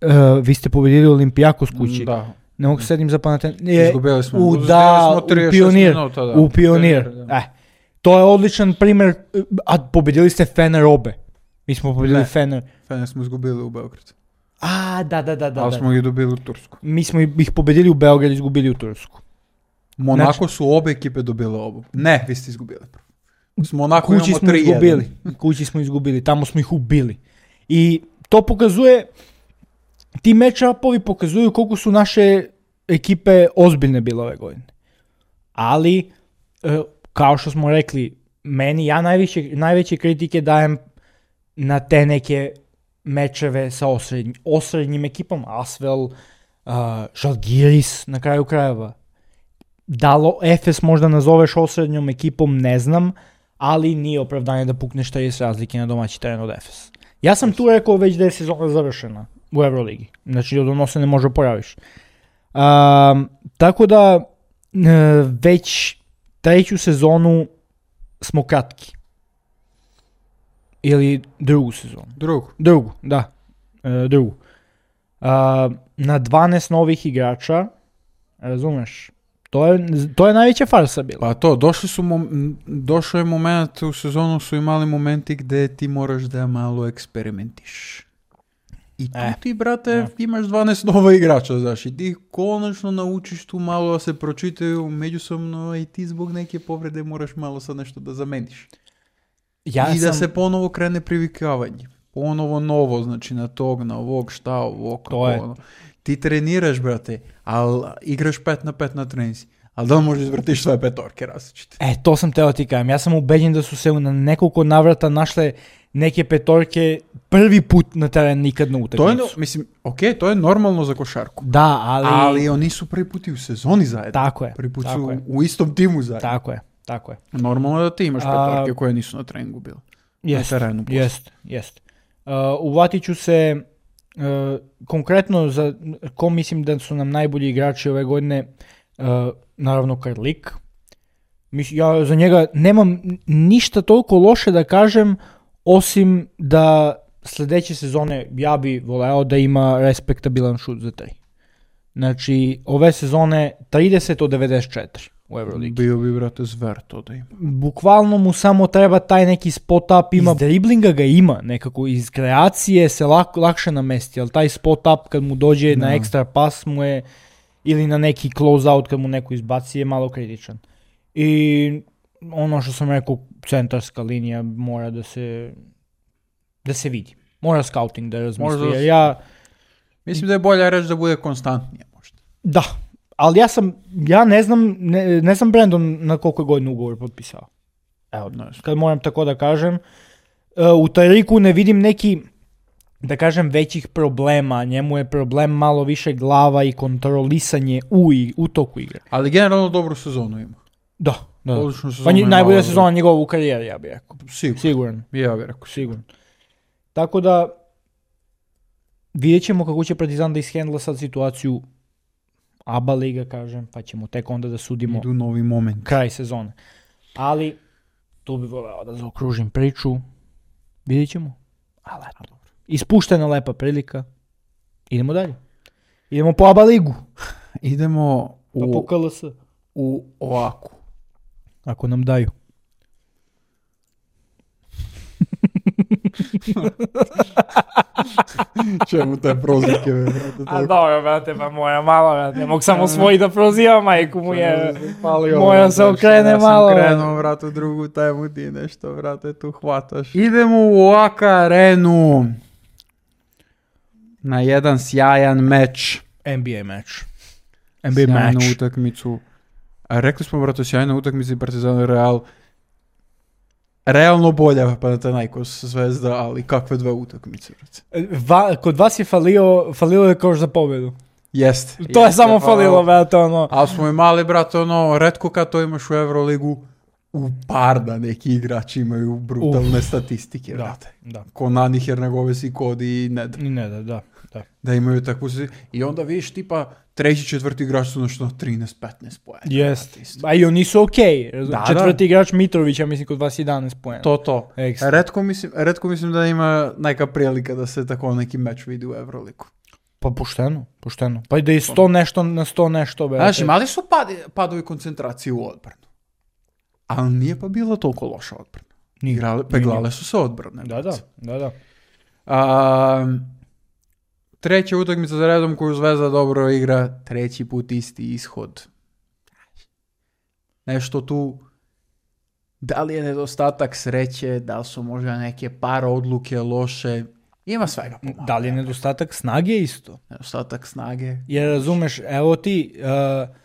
Uh, vi ste pobedili Olimpijakos kući. Da. Ne mogu se sedim za pamet. Izgubili smo. U, Uzeli da, smo u trideset Pionir. minuta, da. U Pionir. Da. Eh, to je odličan primjer. A pobedili ste Fener obe. Mi smo pobedili Ne. Fener. Fener smo izgubili u Beogradu. A, da, da, da. da, Ali da. smo ih dobili u Tursku. Mi smo ih pobedili u Beogradu, izgubili u Tursku. Monako Znači- su obe ekipe dobile obu. Ne, vi ste izgubili. S Monako Kući imamo smo tri jedan. izgubili. Kući smo izgubili. Tamo smo ih ubili. I to pokazuje, ti match-upovi pokazuju koliko su naše ekipe ozbiljne bile ove godine. Ali, e, kao što smo rekli, meni, ja najveće, najveće kritike dajem na te neke mečeve sa osrednjim, osrednjim ekipama. Asvel, uh, Žalgiris, na kraju krajeva. Da li Efes možda nazoveš osrednjom ekipom, ne znam, ali nije opravdanje da pukneš trideset razlike na domaći teren od Efes. Ja sam tu rekao već da je sezona završena u Euroligi. Znači od ono se ne može pojaviš. Um, tako da e, već treću sezonu smo kratki. Ili drugu sezonu. Drugu. Drugu, da. E, drugu. Uh, na dvanaest novih igrača, razumeš? To je, to je najveća farsa bila. Pa to, došli su mom, došao je moment u sezonu, su imali momenti gde ti moraš da malo eksperimentiš. I tu E, ti, brate, e. imaš dvanaest nova igrača, znaš, i ti konačno naučiš tu malo da se pročitaju međusobno i ti zbog neke povrede moraš malo sad nešto da zameniš. Ja I da sam, se ponovo krene privikavanje. Ponovo novo, znači na tog, na ovog, šta, ovo, kako je. ono. Ti treniraš, brate, ali igraš pet na pet na trenici. Ali da li možeš izvrtiš svoje petorke različite? E, to sam teo ti kažem. Ja sam ubeđen da su se na nekoliko navrata našle neke petorke prvi put na teren, nikad na To je, utakmicu. no- mislim, ok, to je normalno za košarku. Da, ali... Ali oni su prvi put i u sezoni zajedno. Tako je, Prvi put tako su je. u istom timu zajedno. Tako je, tako je. Normalno je da ti imaš A- petorke koje nisu na treningu bile. Jest, Na terenu poslije. jest, jest. Uh, uvatit ću se uh, konkretno za ko mislim da su nam najbolji igrači ove godine, uh, naravno Karlik. Mis- Ja za njega nemam ništa toliko loše da kažem, osim da sljedeće sezone ja bi voleo da ima respektabilan šut za tri. Znači, ove sezone trideset od devedeset četiri u Euroligi. Bio bi, brate, zver to da ima. Bukvalno mu samo treba taj neki spot up, ima. Iz driblinga ga ima, nekako iz kreacije se lak, lakše namesti, ali taj spot up kad mu dođe no. na ekstra pas mu je, ili na neki close out kad mu neko izbaci je malo kritičan. I ono što sam rekao, centarska linija mora da se da se vidi. Mora scouting da razmisli. Jer ja mislim da je bolje reći da bude konstantnije možda. Da, ali ja sam, ja ne znam, ne, ne znam Brandon na koliko godina ugovor potpisao. Evo, kad moram tako da kažem. U Tariku ne vidim neki, da kažem, većih problema. Njemu je problem malo više glava i kontrolisanje u, u toku igre. Ali generalno dobru sezonu ima. Da, da. Pa nj- najbolja sezona njegova u karijeri, ja bih rekao. Sigur. Siguran. Ja bih rekao. Siguran. Tako da, vidjet ćemo kako će Partizan da ishendla sad situaciju A B A liga, kažem, pa ćemo tek onda da sudimo idu novi moment. Kraj sezone. Ali, tu bih voleo da zaokružim priču. Vidjet ćemo. Ali, ispuštena lepa prilika. Idemo dalje. Idemo po A B A ligu. Idemo u, pa po K L S. U ovako. Ako nam daju. Čemu te prozivke, brate? A dobro, brate, pa moja malo, brate. Ne mogu samo svoji da prozivam, majku mu je. Moja se okrene malo. Ja sam krenuo, brate, u drugu temu, ti nešto, brate, tu hvataš. Idemo u Oaka arenu na jedan sjajan meč. N B A meč. N B A sjajnu meč. utakmicu. A rekli smo, brate, sjajna utakmica i Partizan Real. Realno bolja Panathinaikos Zvezda, ali kakve dve utakmice. Va, kod vas je falio, falilo je koš za pobjedu. Jeste. To jeste, je samo falilo, brate, ono. Ali smo imali, brate, ono, retko kad to imaš u Euroligu, u par da neki igrači imaju brutalne Uf. statistike, brate. Da, da. Ko Nani Hernagoves i Kodi i Ned. I Ned, da, da. Da imaju takvu i onda vidiš tipa treći, četvrti igrač su nešto trinaest petnaest poena. Jest. A i oni su okej. Okay. Da, četvrti da. igrač Mitrović, ja mislim kod vas jedanaest poena. To, to. Retko mislim, retko mislim da ima neka prilika da se tako neki meč vidi u Euroligu. Pa pošteno, pošteno. Pa i da je sto nešto na sto nešto. Znači, mali su padi, padovi koncentracije u odbranu. Ali nije pa bila toliko loša odbrana. Igrale, peglale su se odbrane. Da, da, da, da. A, treća utakmica za redom koju Zvezda dobro igra, treći put isti ishod. Nešto tu, da li je nedostatak sreće, da li su možda neke par odluke loše, ima svega pomalo. Da li je nedostatak snage isto? Nedostatak snage. Jer razumeš, evo ti, uh,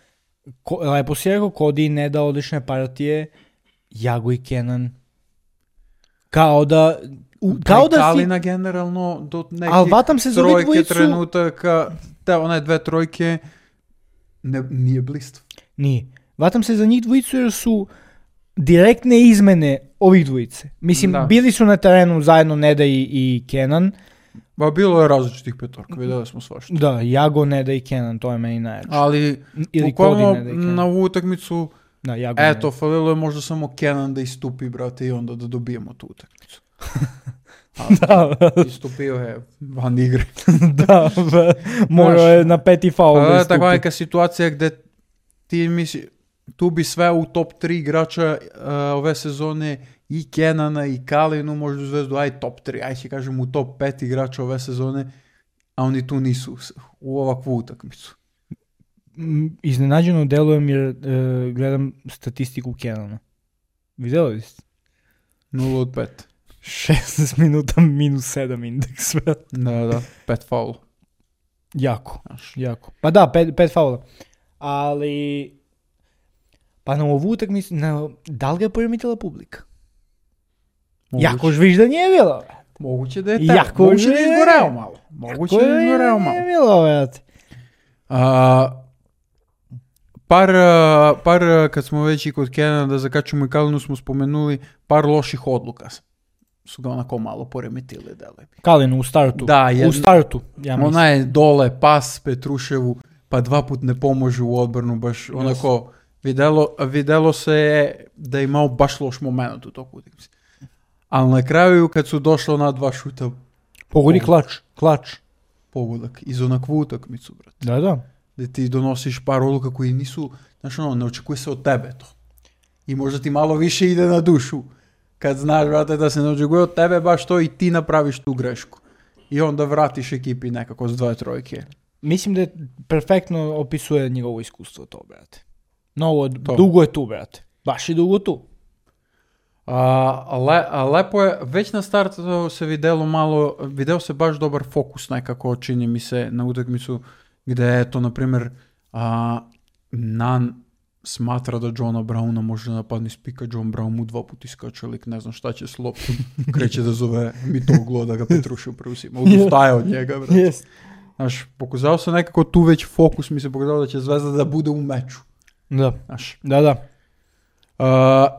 ko, lepo si rekao, Kodi ne da odlične partije, Jago i Kenan, kao da... U, kao da Kalina si... generalno do nekih trojke dvojicu... trenutaka, te one dve trojke, ne, nije blistav. Nije. Vatam se za njih dvojicu jer su direktne izmene ovih dvojice. Mislim, da. Bili su na terenu zajedno Neda i, i Kenan. Ba, bilo je različitih petorka, vidjeli smo svašta. Da, Jago, Neda i Kenan, to je meni najjače. Ali, bukvalno na ovu utakmicu, da, Jago, eto, falilo je možda samo Kenan da istupi, brate, i onda da dobijemo tu utakmicu. Da, istupio je van igre. Da, morao je na peti faul da istupi. Takva neka situacija gdje ti misli, tu bi sve u top tri igrača uh, ove sezone i Kenana i Kalinu, možda u Zvezdu, aj top tri, aj će kažem u top pet igrača ove sezone, a oni tu nisu u ovakvu utakmicu. Iznenađeno delujem jer uh, gledam statistiku Kenana. Vidjeli ste? nula od pet. šesnaest minuta minus sedam indeks. Da, da, pet faula. Jako, Aš. jako. Pa da, pet, pet faula. Ali, pa na ovu utakmicu, da li ga je poremetila publika? Moguće. Jako žviž da nije bilo. Moguće da je tako. Jako Moguće da je izgoreo malo. Moguće da je izgoreo malo. Nije bilo, već. A, par, par, kad smo već i kod Kenana da zakačemo i Kalinu smo spomenuli, par loših odluka su ga onako malo poremetile. Kalinu u startu. Da, jedna, u startu, ja mislim. Ona je dole, pas Petruševu, pa dva put ne pomože u odbranu, baš yes. onako, videlo, videlo se je da je imao baš loš moment u toku utakmice. Ali na kraju, kad su došli na dva šuta, Pogodi klač, klač. Pogodak iz onakvu utakmicu, brate. Da, da. Gde ti donosiš par odluka koji nisu, znaš ono, ne očekuje se od tebe to. I možda ti malo više ide na dušu. Kad znaš, brate, da se ne očekuje od tebe baš to i ti napraviš tu grešku. I onda vratiš ekipi nekako s dve trojke. Mislim da je perfektno opisuje njegovo iskustvo to, brate. Novo, to. Dugo je tu, brate. Baš je dugo tu. A, le, a lepo je, već na startu se videlo malo, video se baš dobar fokus nekako, čini mi se, na utakmicu gde je to, na primjer, a, Nan smatra da Johna Browna može napadni spika, John Brown mu dva puta iskače lik, ne znam šta će s loptom, kreće da zove Mitoglo da ga Petrušev preuzima, odustaje od njega, brate. Yes. Znaš, pokazao se nekako tu već fokus, mi se pokazao da će Zvezda da bude u meču. Da, znaš. Da, da. Uh,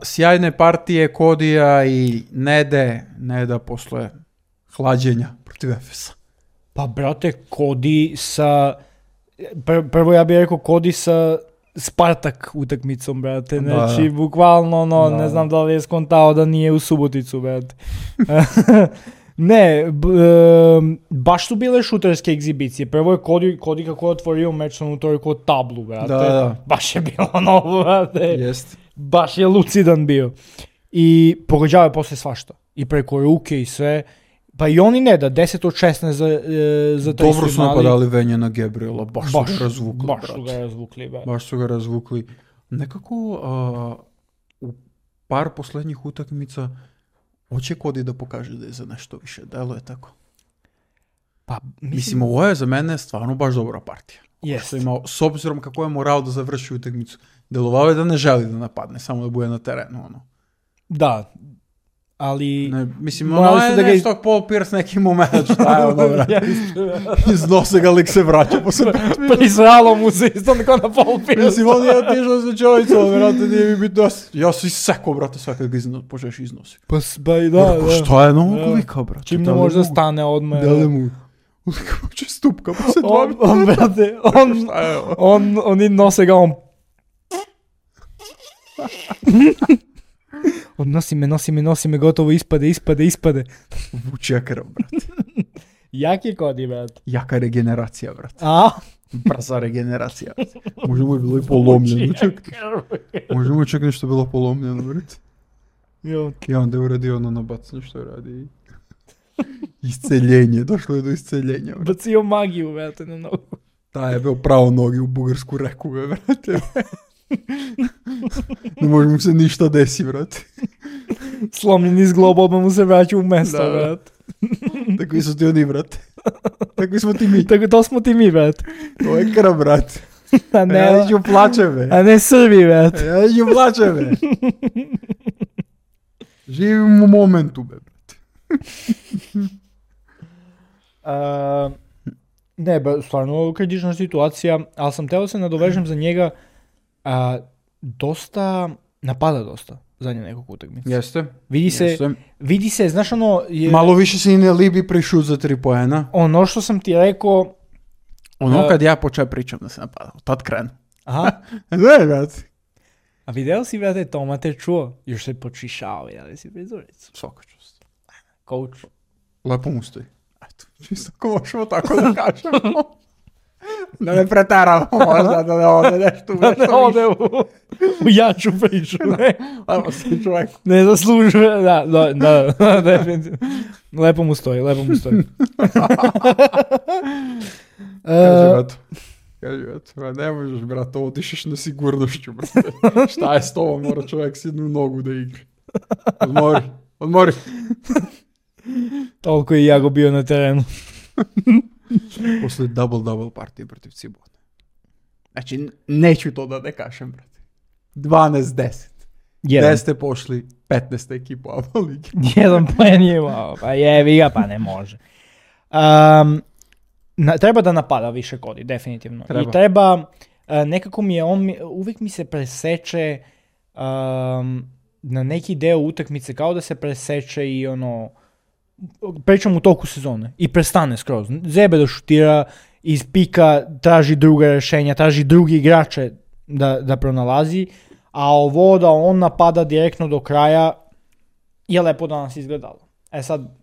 sjajne partije Kodija i Nede, Neda posle hlađenja protiv Efesa. Pa, brate, Kodi sa... Pr- prvo ja bih rekao Kodi sa Spartak utakmicom, brate. Znači, da, bukvalno, no, da. Ne znam da li je skontao da nije u Suboticu, brate. Ne, b- um, baš su bile šuterske egzibicije. Prvo je Kodi, Kodi kako je otvorio meč na utorku od tablu, brate. Da, da. Baš je bilo novo, brate. Jest. Baš je lucidan bio. I pogađao je posle svašta. I preko ruke i sve. Pa i oni ne da, deset od šesnaest za, e, za taj dobro su napadali Venja na Gabriela, baš, baš su ga razvukli. Baš su ga razvukli, brate. Baš su ga razvukli. Nekako uh, u par poslednjih utakmica hoće Kodi da pokaže da je za nešto više. Delo je tako. Pa, mislim, mislim, ovo je za mene stvarno baš dobra partija. Jest. Imao, s obzirom kako je morao da završi utakmicu. Delovao je da ne želi da napadne, samo da bude na terenu. Ono. Da, ali... Ne, mislim, ono je da nešto ga... Paul Pierce neki moment, šta je ono, brate. Iznose ga, lik se vraća posle petmina. Prisralo mu se isto neko na Paul Pierce. Mislim, on je otišao sa čovjecom, brate, nije mi bitno. Ja sam isekao, brate, sve kad ga iznos, počeš iznosi. Pa, ba i da, Rako, da. Šta je novog lika, brate? Čim ne može da stane odmah. Da li mu... Lika poče stupka, pa se dva minuta. On, brate, on, on, oni nose ga, on... On nosi me, nosi me, nosi me, gotovo ispade, ispade, ispade. Vuče krv, brate. Jak je Kodi, brate? Jaka regeneracija, brate. A? Brza regeneracija. Možda mu je bilo i polomljeno, čak. Možda mu je čak nešto bilo polomljeno, brate. I onda je uradio ono nabacanje što je radi. Isceljenje, došlo je do isceljenja. Brate. Bacio magiju, brate, na nogu. Ta je bio pravo nogi u bugarsku reku, brate. Ne može mu se ništa desi, brate. Slomljen iz globa, odmah mu se vraća u mesto, da, brate. Takvi su ti oni, brate. Takvi smo ti mi. Tako to smo ti mi, brate. To je krv, brate. A ne, ja neću plačeve. A ne Srbi, brate. Ja neću plačeve. Živim u momentu, be, brate. uh, ne, ba, stvarno kritična situacija, ali sam teo se nadovežem za njega. A, dosta, napada dosta zadnje nekog utakmice. Jeste. Vidi se, jeste. vidi se, znaš ono... Je, malo više se i ne libi prišut za tri poena. Ono što sam ti rekao... Ono uh, kad ja počeo pričam da se napada, tad krenu. Aha. Ne, brate. A video si, brate, Toma te čuo? Još se počišao, jel si prizoricu? Svaka čast. Coach. Lepo mu stoji. Eto, čisto ko možemo tako da kažemo. Da ne pretaramo, možda da ne ode nešto. Da ne ode u, u jaču priču, ne. Lepo si čovjek. Ne zaslužuje, da, da, da, da, definitivno. Lepo mu stoji, lepo mu stoji. Kaži, eto. Kaži, eto. Ne možeš, brate, otišeš na sigurnošću, brate. Šta je s tobom, mora čovjek s jednu nogu da igra. Odmori, odmori. Toliko je Jago bio na terenu. Posle double-double partije protiv Cibona. Znači, neću to da ne kažem, brate. dvanaest deset. Jedan. deset ste pošli, petnaest ekipu Aba Lige. Jedan plen je imao, pa jevi ga, pa ne može. Um, na, treba da napada više Kodi, definitivno. Treba. I treba, uh, nekako mi je, on uvijek mi se preseče um, na neki deo utakmice, kao da se preseče i ono, pričam u toku sezone i prestane skroz. Zebe da šutira, iz pika traži druga rješenja, traži drugi igrače da, da pronalazi, a ovo da on napada direktno do kraja je lepo danas izgledalo. E sad,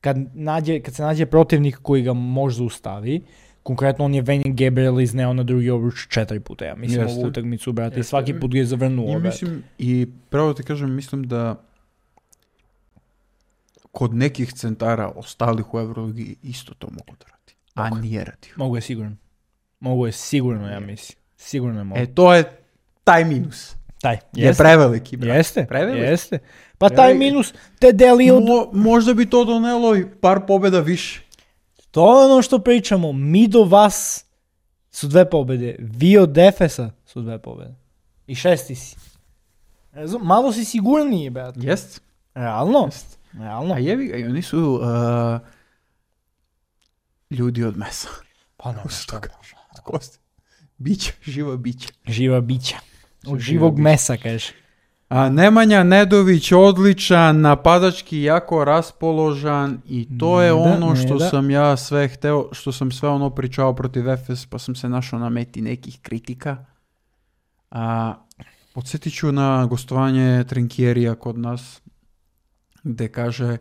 kad, nađe, kad se nađe protivnik koji ga može zaustavi, konkretno on je Venjan Gabriel izneo na drugi obruč četiri puta, ja mislim, Jeste. ovu utakmicu, brate, i Jeste. svaki put ga je zavrnuo, I brate. mislim, i pravo ti kažem, mislim da kod nekih centara ostalih u Euroligi isto to mogu da radi. A Mogu. nije radio. Mogu je sigurno. Mogu je sigurno, ja mislim. Sigurno je mogu. E, to je taj minus. Taj, Je jeste. preveliki, brate. Jeste, Preveliki. jeste. Pa taj Preveliki. minus te deli od... Mo, možda bi to donelo i par pobjeda više. To je ono što pričamo. Mi do vas su dve pobjede. Vi od Efesa su dve pobjede. I šesti si. Razum, malo si sigurniji, brate. Jest. Realno. Jest. Realno. A jevi ga, i oni su uh, ljudi od mesa. Pa ne, Kako se šta to da. kaže? Od kosti. Biće, živa biće. Živa bića. Od Živa živog bića. mesa, kaže. A Nemanja Nedović odličan, napadački jako raspoložan i to je Ne da, ono ne što da. sam ja sve hteo, što sam sve ono pričao protiv Efes, pa sam se našao na meti nekih kritika. A, podsjetit ću na gostovanje Trinkierija kod nas, gde kaže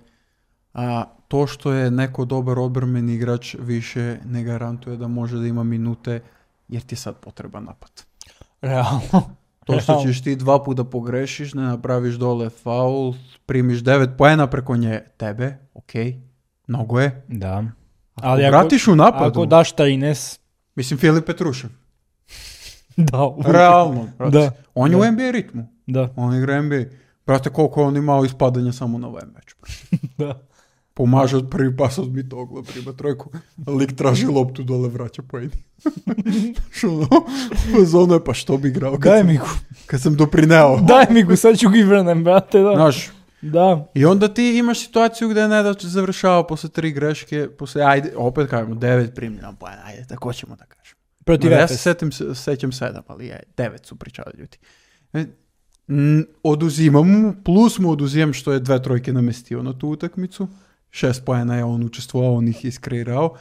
a, to što je neko dobar odbrambeni igrač više ne garantuje da može da ima minute, jer ti je sad potreban napad. Realno. To što Realno. ćeš ti dva puta pogrešiš, ne napraviš dole faul, primiš devet poena preko nje tebe, ok, mnogo je. Da. Ako Ali ako- vratiš u napadu, Ako daš trinaest, mislim Filip Petrušev, da. realno, brate. Da. On je Da. u N B A ritmu, Da. on igra N B A. Brate, koliko je on imao ispadanja samo na ovaj meč. Da. Pomaže od prvi pas od mitogla, prima trojku, lik traži loptu dole, vraća poeni. Što ono, zonu je, pa što bi igrao kad, Daj sam, mi gu. kad sam doprineo. Daj mi gu, sad ću ga i vrnem, brate, da. Znaš, Da. i onda ti imaš situaciju gdje Nedač završava posle tri greške, posle, ajde, opet kažemo, devet primljena poena, ajde, tako ćemo da kažemo. Protiv Ja se Efes. setim, sećam sedam, ali je, devet su pričali ljudi. E, n- oduzimam mu, plus mu oduzimam što je dve trojke namestio na tu utakmicu, šest poena je on učestvovao, on ih iskreirao,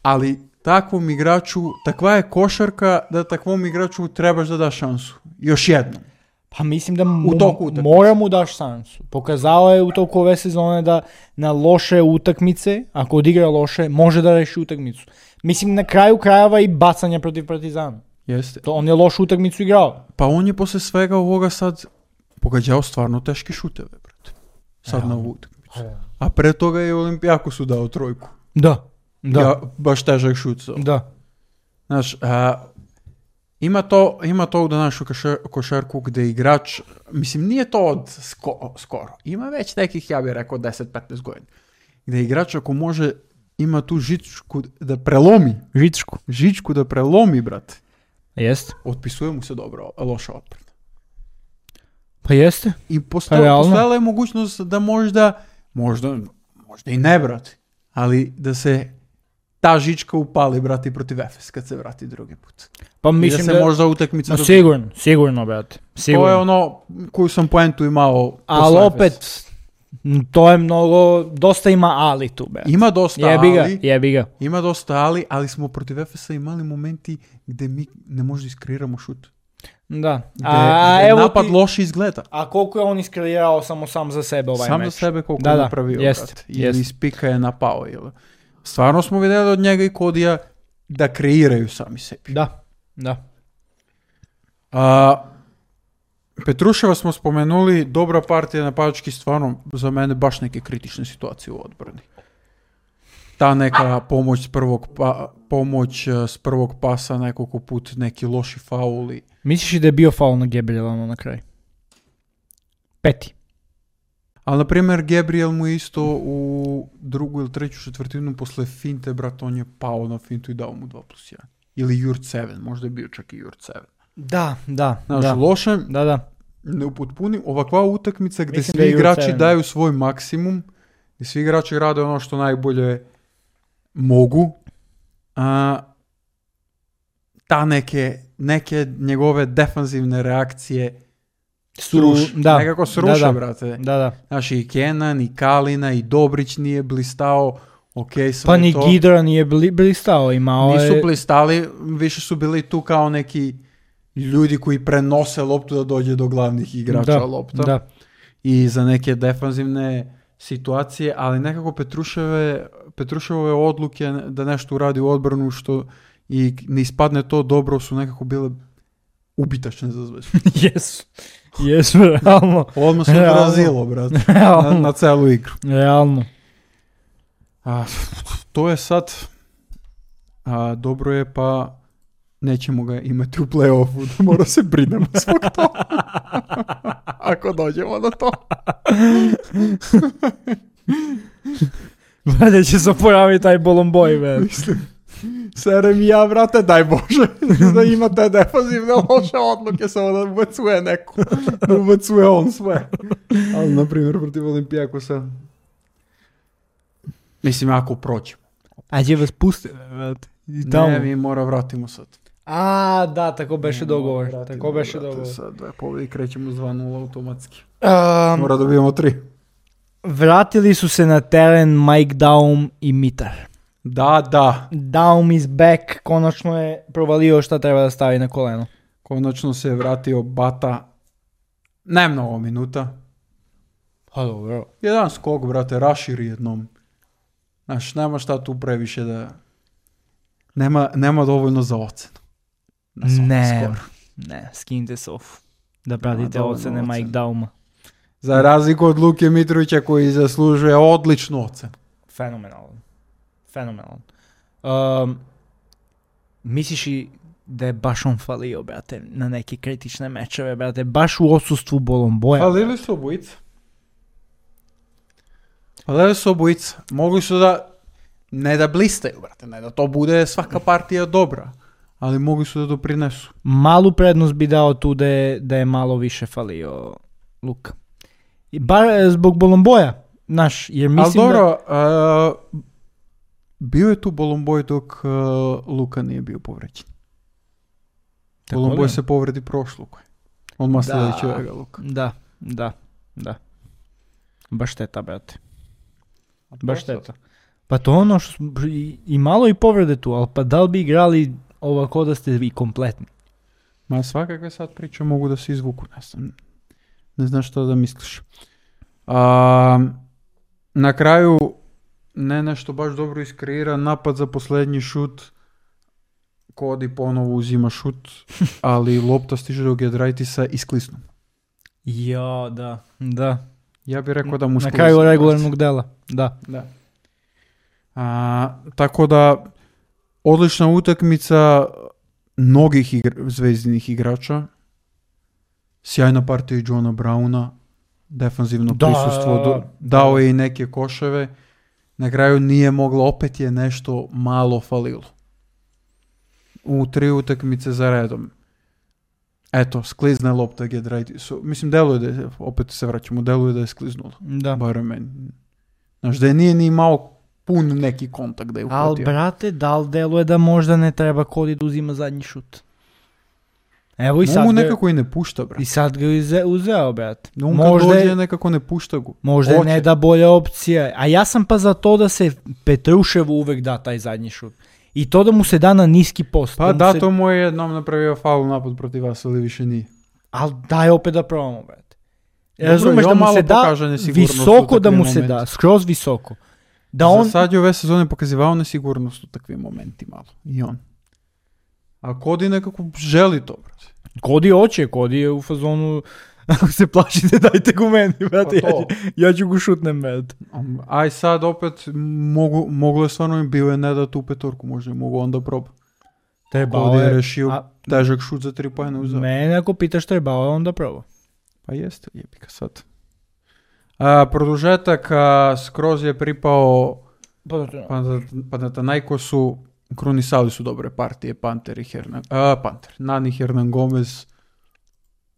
ali takvom igraču, takva je košarka da takvom igraču trebaš da daš šansu. Još jednom. Pa mislim da mu, U toku utakmice. mora mu daš šansu. Pokazao je u toku ove sezone da na loše utakmice, ako odigra loše, može da reši utakmicu. Mislim na kraju krajeva i bacanja protiv Partizana. Jeste. To on je lošu utakmicu igrao. Pa on je posle svega ovoga sad pogađao stvarno teške šuteve, brate. Sad na ovu utakmicu. A pre toga je Olimpijakosu dao trojku. Da. Da. Ja, baš težak šut. So. Da. Znaš, a, ima to, ima to u današnju košar, košarku gde igrač, mislim nije to od sko, skoro, ima već nekih, ja bih rekao, deset do petnaest godina. Gde igrač ako može, ima tu žičku da prelomi, Žičku. žičku da prelomi, brate, Jeste. otpisuje mu se dobro, loša odbrana. Pa jeste. I Pa posto, realno. postojala je mogućnost da možda, možda, možda i ne, brate, ali da se ta žička upali, brate, i protiv Efes kad se vrati drugi put. Pa I da mislim se da... možda utakmica... Ma do- sigurno, sigurno, brate. Sigurno. To je ono koju sam poentu imao. Ali posle opet, Efesa. m, to je mnogo, dosta ima ali tu, brate. Ima dosta Jebi ga, ali, jebi ga. ima dosta ali, ali smo protiv Efesa imali momenti gde mi ne možda iskreiramo šut. Da. Gde, A, gde evo napad ti, loše izgleda. a koliko je on iskreirao samo sam za sebe ovaj Sam meč? za sebe koliko Da, je da, napravio, jest, brate. Ili jest. iz pika je napao. Ili. Stvarno smo vidjeli od njega i Kodija da kreiraju sami sebi. Da, da. A, Petruševa smo spomenuli, dobra partija napadački, stvarno za mene baš neke kritične situacije u odbrani. Ta neka pomoć s prvog, pa, pomoć eh, s prvog pasa nekoliko put, neki loši fauli. Misliš li da je bio faul na Gabriela ono na kraju? Peti. Ali, na primjer, Gabriel mu isto u drugu ili treću četvrtinu posle finte, brat, on je pao na fintu i dao mu dva plus jedan. Ili Jurt sedam, možda je bio čak i Jurt sedam. Da, da, Znaš, da. loše, Da, da. neupotpunim, ovakva utakmica gdje Mislim svi da je Jurt igrači sedam. daju svoj maksimum, gdje svi igrači rade ono što najbolje mogu, a, ta neke, neke njegove defanzivne reakcije sruš, da, nekako sruše, da, da. brate. Da, da. Znaš, i Kenan, i Kalina, i Dobrić nije blistao, ok, sve Pa ni to. Gidra nije bli, blistao, imao Nisu je... blistali, više su bili tu kao neki ljudi koji prenose loptu da dođe do glavnih igrača da, lopta. da. I za neke defanzivne situacije, ali nekako Petruševe, Petruševe odluke da nešto uradi u odbranu što i ne ispadne to dobro su nekako bile ubitačne za Zvezdu. Jesu. Jesu, realno. Odmah se odrazilo, brate, na, na celu igru. Realno. A, to je sad, a, dobro je, pa nećemo ga imati u play-offu, da mora se brinemo zbog toga. Ako dođemo do to. Brate, će se oporaviti taj Bolomboj, man. Mislim, serem i ja, brate, daj Bože, da ima te defazivne loše odluke, samo da ubacuje neko, da ubacuje on sve. Ali, na primjer, protiv Olimpijakosa, mislim, ako proćemo. A će vas pustiti, brate. Ne, mi mora vratimo sad. A, da, tako beše Ne, dogovor. vratimo, Tako beše brate, dogovor. Sad dve pobjede krećemo s dva nula automatski. Um, Mora dobijemo tri. vratili su se na teren Mike Daum i Mitar. Da, da. Daum is back, konačno je provalio šta treba da stavi na koleno. Konačno se je vratio Bata. Ne mnogo minuta. Ha, dobro. Jedan skok, brate, raširi jednom. Znaš, nema šta tu previše da... Nema, nema dovoljno za ocenu. Na svakom Ne, skoru. ne, skinite se off. Da pratite dovoljno ocene ocene. Mike Dauma. Za razliku od Luke Mitrovića koji zaslužuje odličnu ocenu. Fenomenalan. Fenomenalan. Um, misliš i da je baš on falio, brate, na neke kritične mečeve, brate, baš u odsustvu Bolomboja. Falili su obojica. Falili su obojica. Mogli su da... Ne da blistaju, brate, ne da to bude svaka partija dobra. Ali mogli su da doprinesu. Malu prednost bi dao tu da je, da je malo više falio Luka. I bar e, zbog Bolomboja, znaš, jer Ali mislim dobro, a, bio je tu Bolomboj dok a, Luka nije bio povređen. Tako Bolomboj li? se povredi prošlu. Odmah Da. sljedećega Luka. Da, da, da. Baš šteta, brate. Baš šteta. Pa to ono što smo, i, i malo i povrede tu, ali pa da li bi igrali ovako da ste vi kompletni? Ma svakakve sad priče mogu da se izvuku. Ne znam, ne znam što da misliš. A, na kraju ne nešto baš dobro iskreira napad za posljednji šut. Kodi ponovo uzima šut, ali lopta stiže do Gedraitisa i sklisnu. Ja, da, da. Ja bih rekao da mu Na sklisnu. kraju regularnog dela, da. Da. A, tako da odlična utakmica mnogih igra, zvezdinih igrača. Sjajna partija i Johna Browna. Defanzivno Da, prisustvo. Do, dao je i neke koševe. Na kraju nije moglo, opet je nešto malo falilo. U tri utakmice za redom. Eto, sklizne lopta Gedraitisu. Mislim, deluje da je, opet se vraćamo, deluje da je skliznula. Da. Barem meni. Znaš, da je nije ni imao pun neki kontakt da je Al uhvatio. brate, da li deluje da možda ne treba Kodi da uzima zadnji šut? Evo i sad Mu ga, nekako i ne pušta, brate. i sad ga uze, uzeo, brate. No, on kad Možda dođe je, nekako ne pušta go. možda je Hoće. ne da bolja opcija. A ja sam pa za to da se Petruševu uvek da taj zadnji šut. I to da mu se da na niski post. Pa mu da, se... to mu je jednom napravio faul napad protiv vas, ali više nije. Ali daj opet da probamo, brate. Dobro, Razumeš i da on mu malo se da pokaže nesigurnost u visoko da takvim mu se momentima. da, skroz visoko. Da Za on, sad je ove sezone pokazivao nesigurnost u takvim momentima malo. I on. A Kodi nekako želi to, brate. Kodi hoće, Kodi je u fazonu, ako se plašite dajte go meni, brate, Pa ja, to. ću- ja ću go šutnem, brate. Um, Aj sad opet mogu, moglo je stvarno im bio je ne da tu petorku, možda je mogu onda proba. Trebao Kodi je je, rešio a- težak šut za tri pojene uzeo. mene ako pitaš trebao je onda probao. Pa jeste, jebika sad. A, produžetak a, skroz je pripao Panathinaikosu. Krunisali su dobre partije, Panter i Hernan, a, Panter, Nani, Hernan Gomez,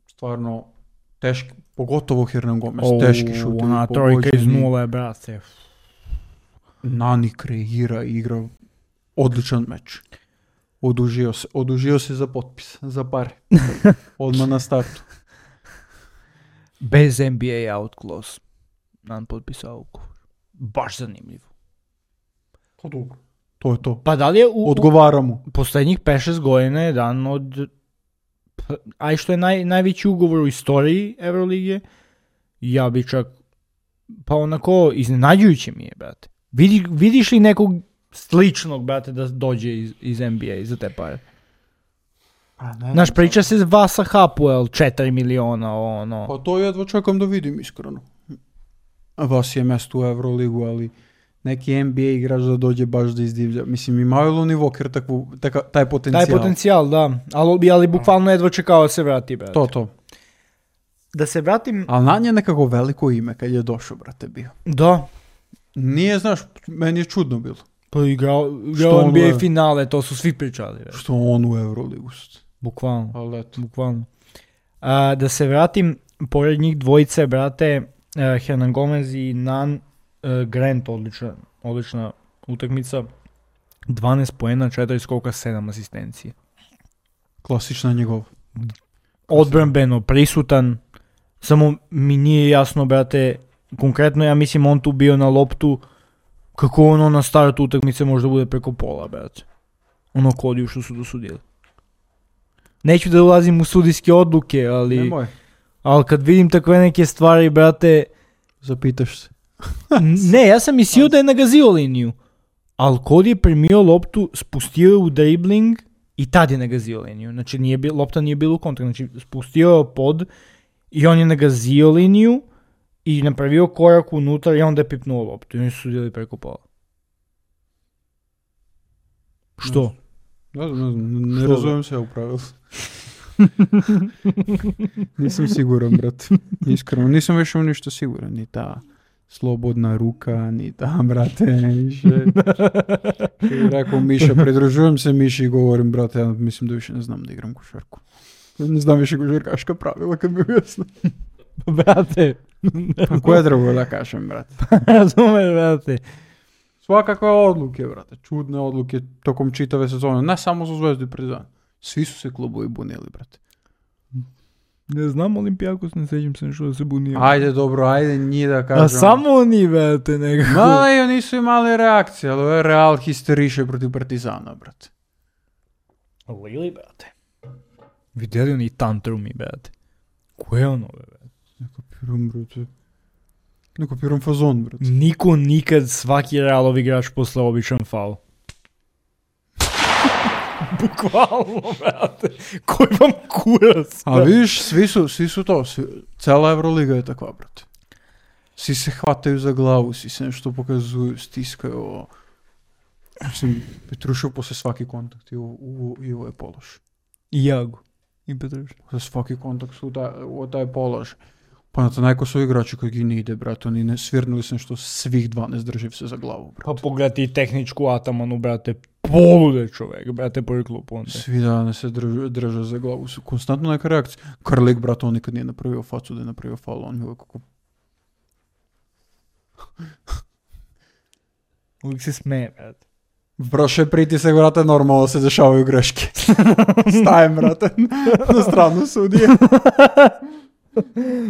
stvarno teški, pogotovo Hernan Gomez, teški šut. Ona trojka iz nule, brate. Nani kreira i igra odličan meč. Odužio se, odužio se za potpis, za pare. Odmah na startu. Bez N B A out clause. Nam potpisao ugovor. Baš zanimljivo. To dobro. To je to. Pa da li je u, Odgovara mu. u posljednjih pet šest godina jedan od... pa, aj što je naj, najveći ugovor u istoriji Evrolige, ja bi čak pa onako iznenađujuće mi je, brate. Vidi, vidiš li nekog sličnog, brate, da dođe iz, iz N B A za te pare? Znaš, priča se Vasa Hapoel, četiri miliona, ono. Pa to jedva čekam da vidim, iskreno. Vas je mjesto u Euroligu, ali neki N B A igrač da dođe baš da izdivlja. Mislim, imaju li oni Walker takvu, taka, taj potencijal? Taj potencijal, da. Ali, ali bukvalno jedva čekao da se vrati, brate. To, to. Da se vratim... Ali na nje nekako veliko ime kad je došao, brate, bio. Da. Nije, znaš, meni je čudno bilo. Pa igrao, igrao N B A finale, to su svi pričali. Brate. Što on u Euroligu? Bukvalno. Ali eto. Bukvalno. A, da se vratim, pored njih dvojice, brate, uh, Hernan Gomez i Nan uh, Grant, odlična, odlična utakmica. dvanaest poena, četiri skoka, sedam asistencije. Klasična njegov. Odbrambeno, prisutan. Samo mi nije jasno, brate, konkretno ja mislim on tu bio na loptu, kako ono na startu utakmice možda bude preko pola, brate. Ono kodiju što su dosudili. Neću da ulazim u sudijske odluke, ali... Nemoj. Ali kad vidim takve neke stvari, brate... Zapitaš se. Ne, ja sam mislio da je nagazio liniju. Ali kod je primio loptu, spustio je u dribling i tad je nagazio liniju. Znači nije bil, lopta nije bila u kontakt. Znači spustio je pod i on je nagazio liniju i napravio korak unutar i onda je pipnuo loptu. I oni su sudili preko pola. Što? Ne znam, ne, ne razumijem se ja u pravilu. Nisam siguran, brate. Iskreno, nisam više u ništa siguran. Ni ta slobodna ruka, ni ta, brate. Više. Rekao Miša, pridružujem se Miši i govorim, brate, ja mislim da više ne znam da igram košarku. Ne znam više košarkaška pravila, kad mi uvjesno. Brate. Koje drugo da kažem, brate? Razumeš, brate. Svakakve odluke, brate. Čudne odluke tokom čitave sezone. Ne samo za Zvezdu i Partizan. Svi su se klubovi bunili, brate. Ne znam, Olimpijakos, ne sećam se nešto da se bunio. Ajde, dobro, ajde njih da kažem. A samo oni, brate, nekako. Ma, i oni su imali reakcije, ali ovo je Real histeriše protiv Partizana, brate. Lili, brate. Vidjeli oni tantrumi, brate. Ko je ono, brate? Ne kapiram, brate. Ne kapiram fazon, brate. Niko nikad svaki Realov igrač posle običan faul. Bukvalno, brate. Koji vam kurac? A vidiš, svi su, svi su to. Svi, cela Euroliga je takva, brate. Svi se hvataju za glavu, svi se nešto pokazuju, stiskaju. Mislim, Petrušev posle svaki kontakt i u, i u je polož. I Jagu. I Petrušev. Posle svaki kontakt su da, u taj polož. Pa na to najko su igrači koji gi ne ide, brate. Oni ne svirnuli se nešto svih dvanaest drži se za glavu, brate. Pa pogledaj tehničku Atamanu, brate. Polude čovjek, brate, prvi klub onda. Svi dane se drže, drže za glavu. Su konstantno neka reakcija. Karlik, brate, on nikad nije napravio facu da je napravio faul. On je uvijek kako... Uvijek se smeje, brate. Prošle pritisak, brate, normalno se dešavaju greške. Stajem, brate, na stranu sudije.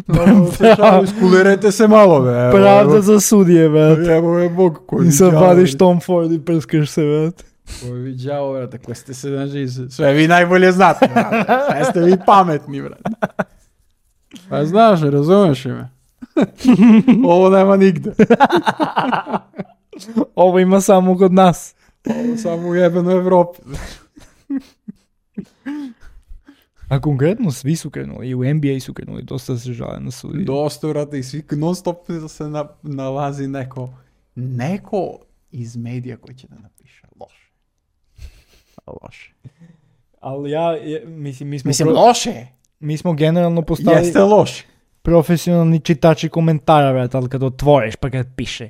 Normalno se dešavaju, skulirajte se malo, be. Evo, Pravda evo, za sudije, brate. evo je Bog koji I sad vadiš Tom Ford i prskaš se, brate. Koji viđao, brate, koji ste se naži, sve vi najbolje znate, brate. Sve ste vi pametni, brate. Pa znaš, razumeš ime. Ovo nema nigde. Ovo ima samo kod nas. Ovo samo u jebenoj Evropi. A konkretno svi su krenuli, i u N B A su krenuli, dosta se žale na sudije. Dosta, brate, i svi non stop se na, nalazi neko, neko iz medija koji će da napiše loše. Loše. Ali ja, je, mislim, mi smo, Mislim, pro, loše. mi smo generalno postali Jeste loše. profesionalni čitači komentara, brate, ali kad otvoriš pa kad piše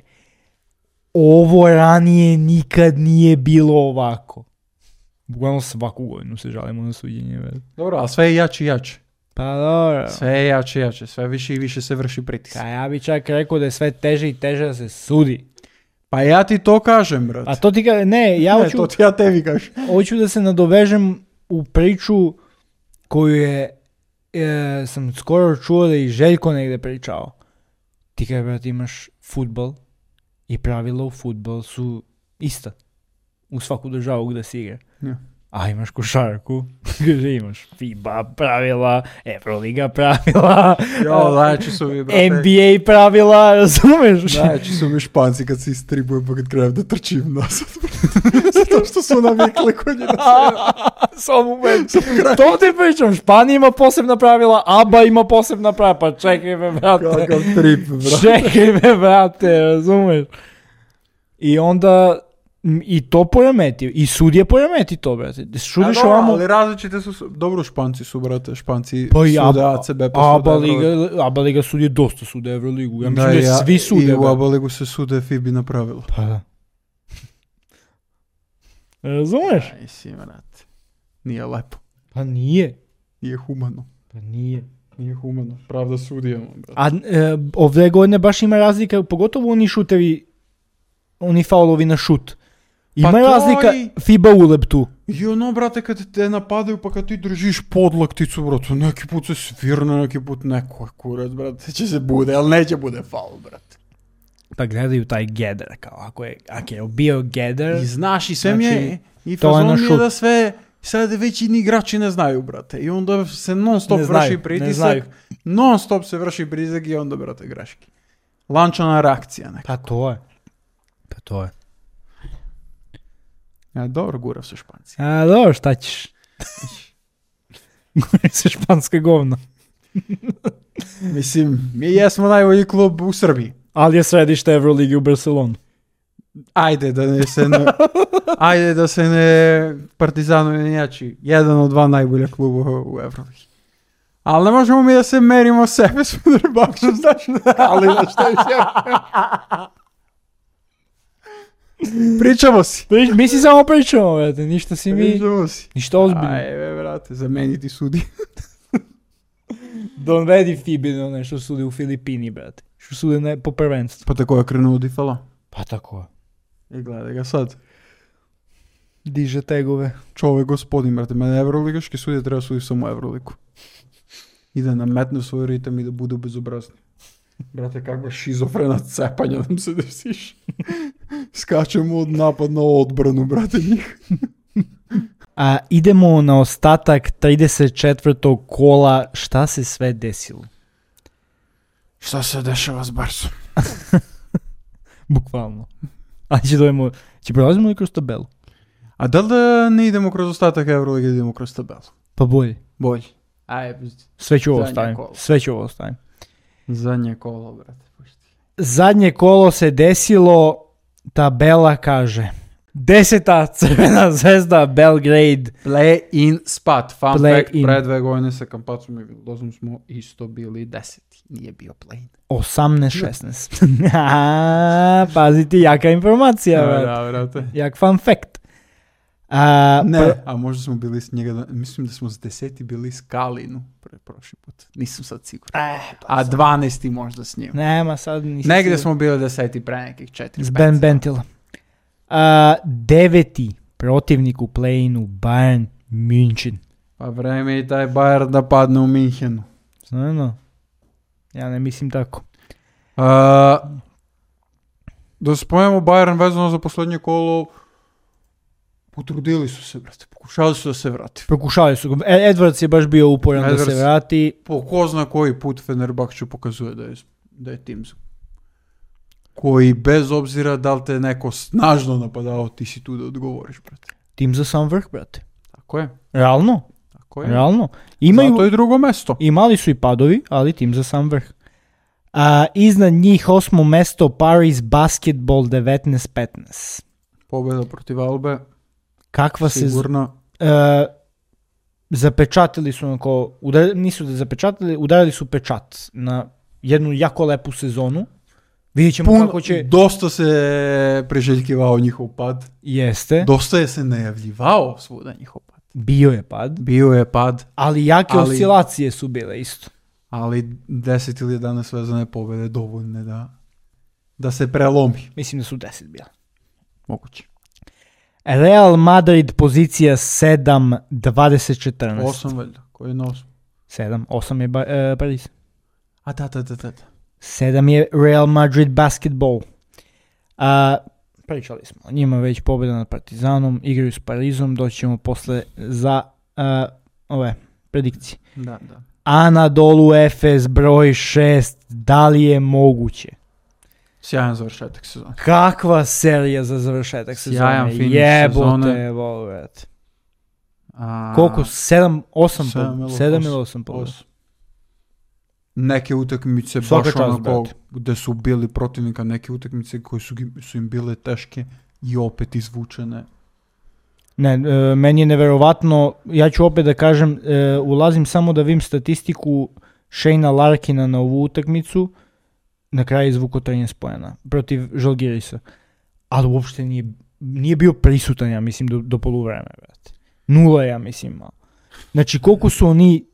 ovo ranije nikad nije bilo ovako. Bukvalno svaku godinu se žalimo na suđenje, brate. Dobro, ali sve je jače i jače. Pa dobro. Sve je jače i jače, sve više i više se vrši pritisak. A ja bi čak rekao da je sve teže i teže da se sudi. Pa ja ti to kažem, brate. A to ti ka... Ne, ja ne, hoću... to ti ja tebi kažem. Hoću da se nadovežem u priču koju je, e, sam skoro čuo da i Željko negde pričao. Ti kada, brate, imaš fudbal i pravila u fudbal su ista. U svaku državu gde si igra. Ja. A imaš košarku, imaš FIBA pravila, Euroliga pravila, Jo, najjači su mi, brate. N B A pravila, razumeš? Najjači su mi Španci kad se istribuju pa kad krenem da trčim nazad. Zato što su navikli kod njih na Samo meni. To ti pričam, Španija ima posebna pravila, A B A ima posebna pravila, pa čekaj me, brate. Kakav trip, brate. Čekaj me, brate, razumeš? I onda... I to poremeti, i sudje poremeti to, brate. Šudiš dobro, ovamo... ali različite su, dobro Španci su, brate, Španci Pa i sude A- A C B, pa ABA sude liga, Euroligu. ABA liga sudje dosta sude Euroligu. Ja mislim Da, da, ja- svi sude. I u brate. ABA ligu se sude FIBI na pravila. Pa da. Razumeš? Aj si, brate. Nije lepo. Pa nije. Nije humano. Pa nije. Nije humano. Pravda sudijama, brate. A e, ove godine baš ima razlika, pogotovo oni šutevi, oni faulovi na šut. Ima Pa to razlika i- FIBA ulep tu. I ono, brate, kad te napadaju pa kad ti držiš podlakticu, brate, neki put se svirne, neki put neko je kurac, brate, će se bude, ali neće bude faul, brate. Pa gledaju taj gather, kao ako je, ako je bio gather, I znaš, i sve mi Znači, je, i to je fazon na mi je šut. da sve, sad već i ni igrači ne znaju, brate, i onda se non stop Ne znaju, vrši ne pritisak, znaju. non stop se vrši pritisak i onda, brate, greški. Lančana reakcija neka. pa to je. Pa to je. Ja, dobro, gurav su Španci. A dobro, šta ćeš? Gori se španske govno. Mislim, mi jesmo najbolji klub u Srbiji. Ali je središte Euroligi u Barcelonu. Ajde da ne se ne, ajde da se ne Partizanu ne jači. Jedan od dva najbolja kluba u Euroligi. Ali ne možemo mi da se merimo sebe s Fenerbahčom, znaš, ali na šta više. Pričamo si. Prič, mi si samo pričamo, brate, ništa si mi, Pričamo si. ništa ozbiljno. Ajde, brate, zameniti sudi. Donvedi Fibino nešto sudi u Filipini, brate. Što sude ne, po prvenstvu. Pa tako je krenuo Difala. Pa tako. I gledaj ga sad. Diže tegove. Čovjek gospodin, brate, mene Evroligaški sudje treba suditi samo Evroligu. I da nametne svoj ritam i da budu bezobrazni. Brate, kakva šizofrena cepanja nam se desiš. Skačemo od napad na odbranu, brate, njih. A idemo na ostatak trideset četvrtog kola. Šta se sve desilo? Šta se dešava s Barsom? Bukvalno. A će dojemo, će prelazimo li kroz tabelu? A da li da ne idemo kroz ostatak Euroliga, idemo kroz tabelu? Pa bolje. Bolje. Aj, Sve ću ovo Zadnje stavim. kolo. Sve ću ovo stavim. zadnje kolo, brate. Pušti. Zadnje kolo se desilo, tabela kaže. Deseta Crvena zvezda Belgrade. Play-in spot. Fun Play fact, in. pre dve godine sa Kampacom i Vildozom smo isto bili deseti. Nije bio play-in. osamnaest šesnaest. A, paziti, jaka informacija. Da, brate. da, brate. Jak fun fact. A, Ne, pr- a možda smo bili s njega, mislim da smo s deseti bili s Kalinu pre prošli put. Nisam sad siguran. Eh, pa A sad. dvanesti možda s njim. Nema sad nisam Negdje siguran. smo bili deseti pre nekih četiri. S Ben Bentila. A, deveti protivnik u play-inu Bayern München. Pa vreme i taj Bayern da padne u Minhenu. Znano. Ja ne mislim tako. A, da spojemo Bayern vezano za posljednje kolo, potrudili su se, brate, pokušali su da se vrati. Pokušali su ga. E, Edwards je baš bio uporan da se Edwards. vrati. Po ko zna koji put Fenerbahče pokazuje da je, da je tim za- koji bez obzira da li te neko snažno napadao, ti si tu da odgovoriš, brate. Tim za sam vrh, brate. Tako je, Realno. tako je. Realno. Imaju, Zato je drugo mesto. imali su i padovi, ali tim za sam vrh. A, iznad njih osmo mesto Paris Basketball devetnaest petnaest. Pobjeda protiv Albe, Kakva se... z- sigurno. E, zapečatili su onako, udar, nisu da zapečatili, udarili su pečat na jednu jako lepu sezonu. Vidjet ćemo Puno, kako će... dosta se priželjkivao njihov pad. Jeste, Dosta je se najavljivao svuda njihov pad. bio je pad, Bio je pad, ali jake Ali- oscilacije su bile isto. ali deset ili jedanaest vezane pobjede dovoljne da, da se prelomi. Mislim da su deset bile. Moguće. Real Madrid pozicija sedam dvadeset četrnaest. Osam valjda, koji je na osam? sedam, osam je ba, e, Paris. A da, da, da, da. da. sedam je Real Madrid Basketball. A, pričali smo o njima već, pobjeda nad Partizanom, igraju s Parizom, doći ćemo posle za uh, ove predikcije. Da, da. Anadolu Efes broj šest, da li je moguće? Sjajan završetak sezone. Kakva serija za završetak sezone? Sjajan finiš Jebote, sezone. volvet. A, Koliko? sedam, osam, sedam ili sedam osam. ili osam pobjeda. Osam. Neke utakmice Svaka baš čast, onako brate. gde su bili protivnika, neke utakmice koje su, gi- su im bile teške i opet izvučene. Ne, e, meni je neverovatno, ja ću opet da kažem, e, ulazim samo da vidim statistiku Shayna Larkina na ovu utakmicu, na kraju izvuko trinaest poena protiv Žalgirisa, ali uopšte nije, nije bio prisutan, ja mislim, do, do poluvremena. brate. Nula, ja mislim, malo. Znači, koliko su oni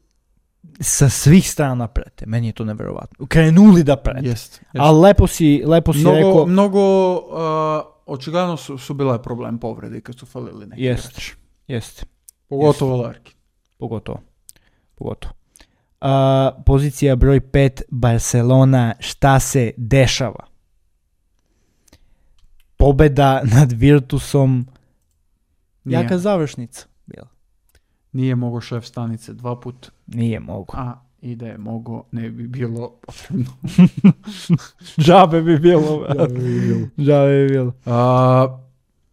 sa svih strana prete, meni je to neverovatno. Krenuli da prete. Jest, jest. Ali lepo si, lepo si Mnogo, rekao, mnogo uh, očigledno su, su bile problem povrede kad su falili neki Jest. igrači. jeste. Pogotovo Larkin. Pogotovo. Pogotovo. Uh, pozicija broj pet, Barcelona, šta se dešava? Pobeda nad Virtusom, Nije, jaka završnica bila. nije mogo šef stanice dva put, Nije mogo. a i da je mogo ne bi bilo potrebno. Džabe bi bilo. Džabe bi bilo. Džabe bi bilo. A,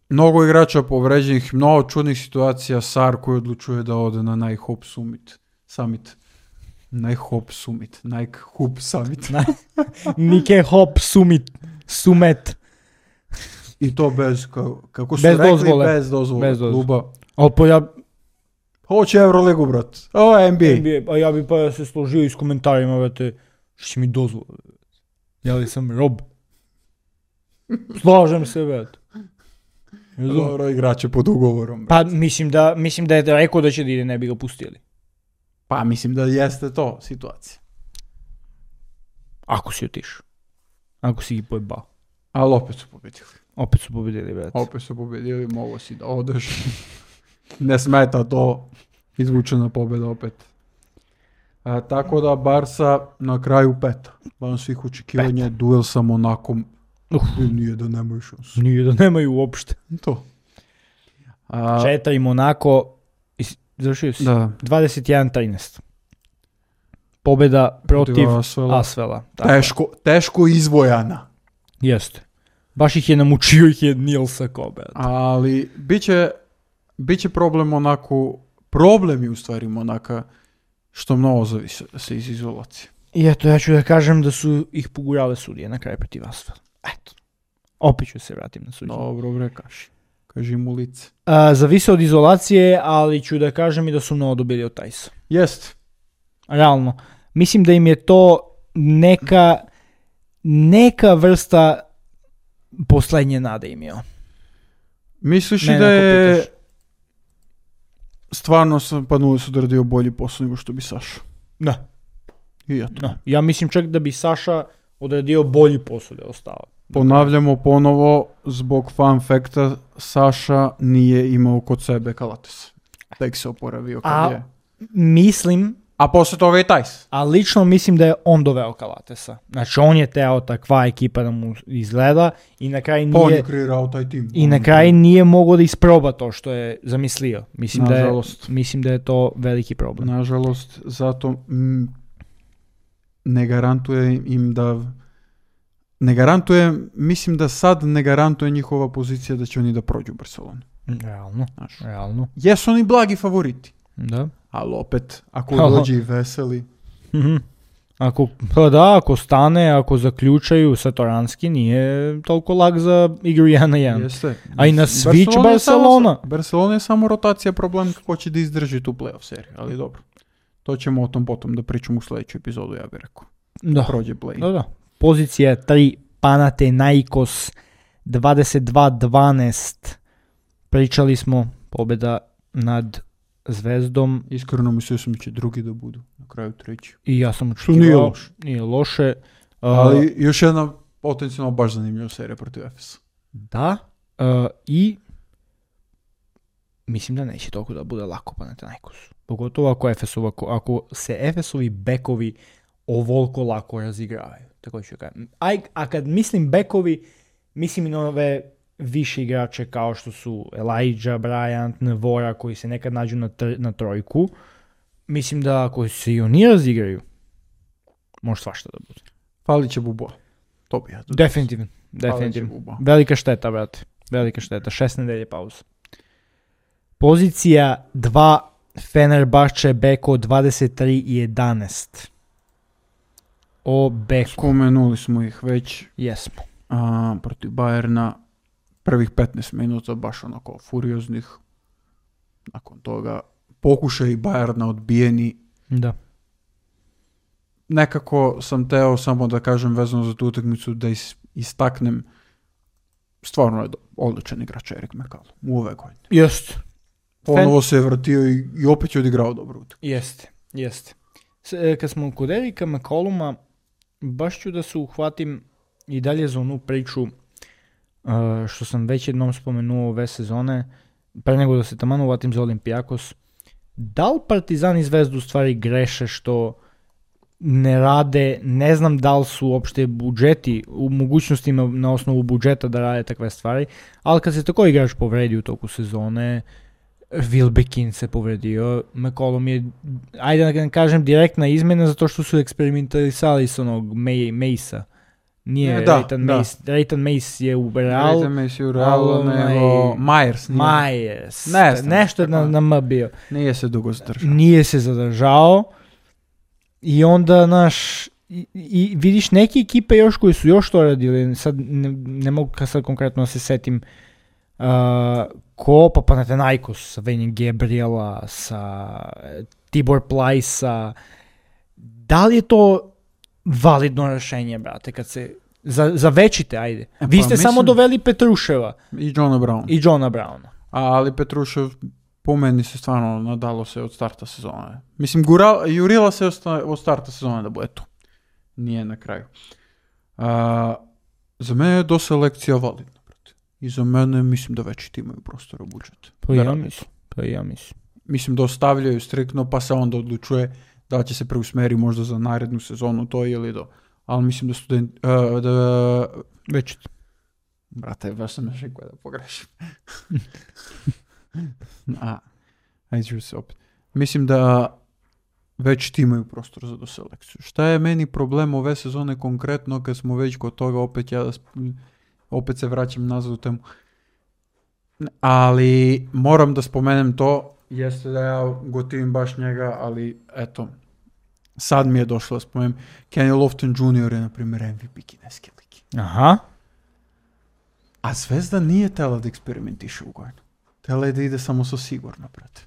mnogo igrača povređenih, mnogo čudnih situacija. Sar koji odlučuje da ode na Nike Hop Summit. Summit. Nike Hop Summit. Nike Hop Summit. Nike Hop Summit. Sumet. I to bez, ka- kako su Bez rekli, dozvole. bez dozvole Bez dozvole. kluba. Ali pa ja, Hoće Euroligu, brat. Ovo je N B A. N B A, a ja bi pa se složio i s komentarima, vrate, što će mi dozvole? Ja li sam rob? Slažem se, vrate. Razumem. Dobro, igrače pod ugovorom. brat. Pa mislim da, mislim da je rekao da će da ide, ne bi ga pustili. Pa mislim da jeste to situacija. Ako si otišao. Ako si ih pojebao. Ali opet su pobedili. Opet su pobedili, brate. Opet su pobedili, mogo si da odeš. Ne smeta to. Izvučena pobjeda opet. A, tako da Barsa na kraju peta. Van svih očekivanja, duel sa Monakom. Uf. Nije da nemaju šansu. Nije da nemaju uopšte. To. A, Četiri Monako, is- završio si? da. dvadeset jedan trinaest. Pobjeda protiv Asvela. Asvela. Tako je. Teško, teško izvojana. Jeste. Baš ih je namučio ih je Nilsa Kobe. Ali biće, biće problem Monaku, problem je u stvari Monaka što mnogo zavisi se iz izolacije. I eto, ja ću da kažem da su ih pogurale sudije na kraju protiv Asvela. Eto. Opet ću se vratim na suđenje. Dobro bre, kaži. Kaži mu lice. A, zavise od izolacije, ali ću da kažem i da su mnogo dobili od Tajsa. Jest. Realno. Mislim da im je to neka neka vrsta poslednje nade imao. Misliš i Mene da ako je pitaš. stvarno sam Panulis odradio bolji posao nego što bi Saša? Da. I ja to. Da. Ja mislim čak da bi Saša odradio bolji posao da je ostao. Ponavljamo ponovo, zbog fun fakta, Saša nije imao kod sebe Kalates. Tek se oporavio kad A- je. Mislim, A posle toga i Tajs. a lično mislim da je on doveo Kalatesa. Znači on je teo takva ekipa da mu izgleda i na kraju Pa on nije je kreirao taj tim. i na kraju nije mogao da isproba to što je zamislio. Mislim da je, Nažalost. mislim da je to veliki problem. Nažalost, zato mm, ne garantuje im da... Ne garantuje, mislim da sad ne garantuje njihova pozicija da će oni da prođu Barcelonu. Realno, Znaš. realno. Jesu oni blagi favoriti, Da. ali opet, ako Halo. dođe i veseli, Mhm. Ako, pa da, ako stane, ako zaključaju Satoranski, nije toliko lag za igru jedan na jedan. jeste. A i na switch Barcelona je samo- Barcelona. Barcelona je samo rotacija problem kako će da izdrži tu playoff seriju, ali dobro. To ćemo o tom potom da pričamo u sljedeću epizodu, ja bih rekao. Da. Prođe play. Da, da. Pozicija tri, Panathinaikos, dvadeset dva dvanaest. Pričali smo, pobjeda nad Zvezdom Iskreno mislio sam da će drugi da budu, na kraju treći. i ja sam Što nije očekivao. loše. Nije loše. Uh, Ali još jedna potencijalno baš zanimljiva serija protiv Efesa. Da. Uh, I mislim da neće toliko da bude lako Panathinaikosu. Pogotovo ako, Efesova, ako se Efesovi bekovi ovoliko lako razigravaju. Tako ću kažem. A, a kad mislim bekovi, mislim i na ove više igrače kao što su Elijah Bryant, Nevora koji se nekad nađu na, tr- na trojku, mislim da ako se i oni razigraju, može svašta da bude. Fali će Buboa. To bi ja. Definitivno. Definitivno. Velika šteta, brate. Velika šteta. Šest nedelje pauza. Pozicija dva Fenerbahče Beko dvadeset tri jedanaest. O Beko. Spomenuli smo ih već. Jesmo. A, protiv Bayerna prvih petnaest minuta baš onako furioznih. Nakon toga pokušaj Bayerna odbijeni. Da. Nekako sam teo samo da kažem vezano za tu utakmicu da is, istaknem stvarno je do, odličan igrač Erik McCallum u ove godine. Jest. Ponovo se je vratio i, i opet je odigrao dobro utakmicu. Jeste, jeste. S, kad smo kod Erika McCalluma, baš ću da se uhvatim i dalje za onu priču uh, što sam već jednom spomenuo ove sezone, pre nego da se taman uvatim za Olympiakos. Da li Partizan i Zvezdu u stvari greše što ne rade, ne znam da li su uopšte budžeti u mogućnostima na osnovu budžeta da rade takve stvari, ali kad se tako igrač povredi u toku sezone, Wilbekin se povredio, McCollum je, ajde da kažem, direktna izmjena zato što su eksperimentalisali s onog May, Mace-a. Nije, da, Rayton da. Mace, Rayton Mace je u Real. Rayton Mace je u Realu, nego Myers. Nije. Myers. Ne znam. Nešto je na, na M bio. Nije se dugo zadržao. Nije se zadržao. I onda, naš, i, i vidiš neke ekipe još koji su još to radili, sad ne, ne mogu sad konkretno da se setim, uh, ko, pa Panathinaikos sa Venjem Gabriela, sa Tibor Plajsa, da li je to validno rešenje, brate, kad se, za, za večite, ajde. E, Vi pa, ste mislim, samo doveli Petruševa. I Johna Browna. I Johna Browna. Ali Petrušev po meni se stvarno nadalo se od starta sezone. Mislim, gura, jurila se od starta sezone da bude tu. Nije na kraju. A, za mene je do selekcija validna, brate. I za mene mislim da veći ti imaju prostora u budžetu. Pa da ja rade. mislim. Pa ja mislim. Mislim da ostavljaju striktno, pa se onda odlučuje da će se preusmeri možda za narednu sezonu to ili do. Ali mislim da student... Uh, da... Već. Brate, baš sam još rekao da pogrešim. A, ajde ću se opet. Mislim da već ti imaju prostor za doselekciju. Šta je meni problem ove sezone konkretno, kad smo već kod toga, opet ja da sp- opet se vraćam nazad u temu. Ali moram da spomenem to, jeste da ja gotivim baš njega, ali eto, sad mi je došlo da spomenem. Kenny Lofton junior je, na primjer, M V P kineske lige. Aha. A Zvezda nije tela da eksperimentiše u godinu. Tela je da ide samo sa sigurno, brate.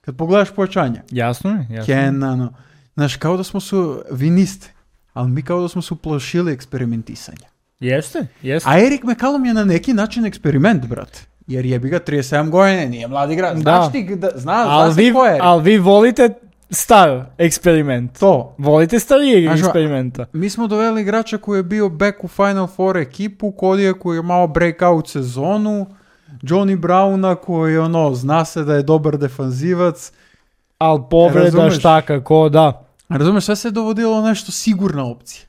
Kad pogledaš pojačanja, Jasno je, jasno. Kena, no, znaš, kao da smo su, vi niste, ali mi kao da smo su plašili eksperimentisanja. Jeste, jeste. A Erik McCallum je na neki način eksperiment, brate. Jer jebi ga trideset sedam godina, nije mladi igrač. Da. Znaš ti, da, zna, Al zna vi, se ko je Erik. al vi volite star eksperiment. To. Volite starijeg Znaš, eksperimenta. Mi smo doveli igrača koji je bio back u Final Four ekipu, Kodija koji je malo breakout sezonu, Johnny Browna koji ono, zna se da je dobar defanzivac. Al povreda Razumeš? šta kako, da. Razumeš, sve se je dovodilo nešto sigurna opcija.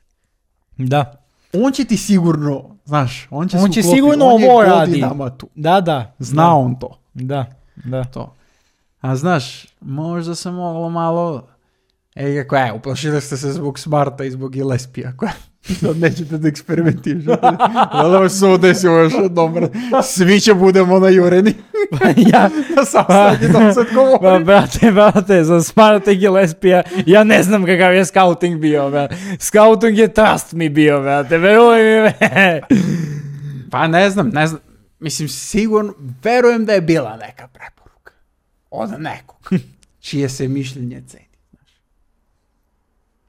Da. On će ti sigurno, znaš, on će, On se će uklopiti, sigurno on je ovo radi. godinama tu. Da, da. Zna da. on to. Da, da. to. A znaš, možda se moglo malo... Ej, kako je, uplašili ste se zbog Smarta i zbog Gillespija. Sad nećete da eksperimentišete. Hvala se ovo desilo još jednom. Svi će budemo najureni. ja, Da sam sad da sad ba, govorim. brate, brate, za Smarta i Gillespija, ja ne znam kakav je scouting bio, brate. Scouting je trust mi bio, brate, veruj mi. Pa ne znam, ne znam. Mislim, sigurno, verujem da je bila neka preporuka. Od nekog. Čije se mišljenje ceni.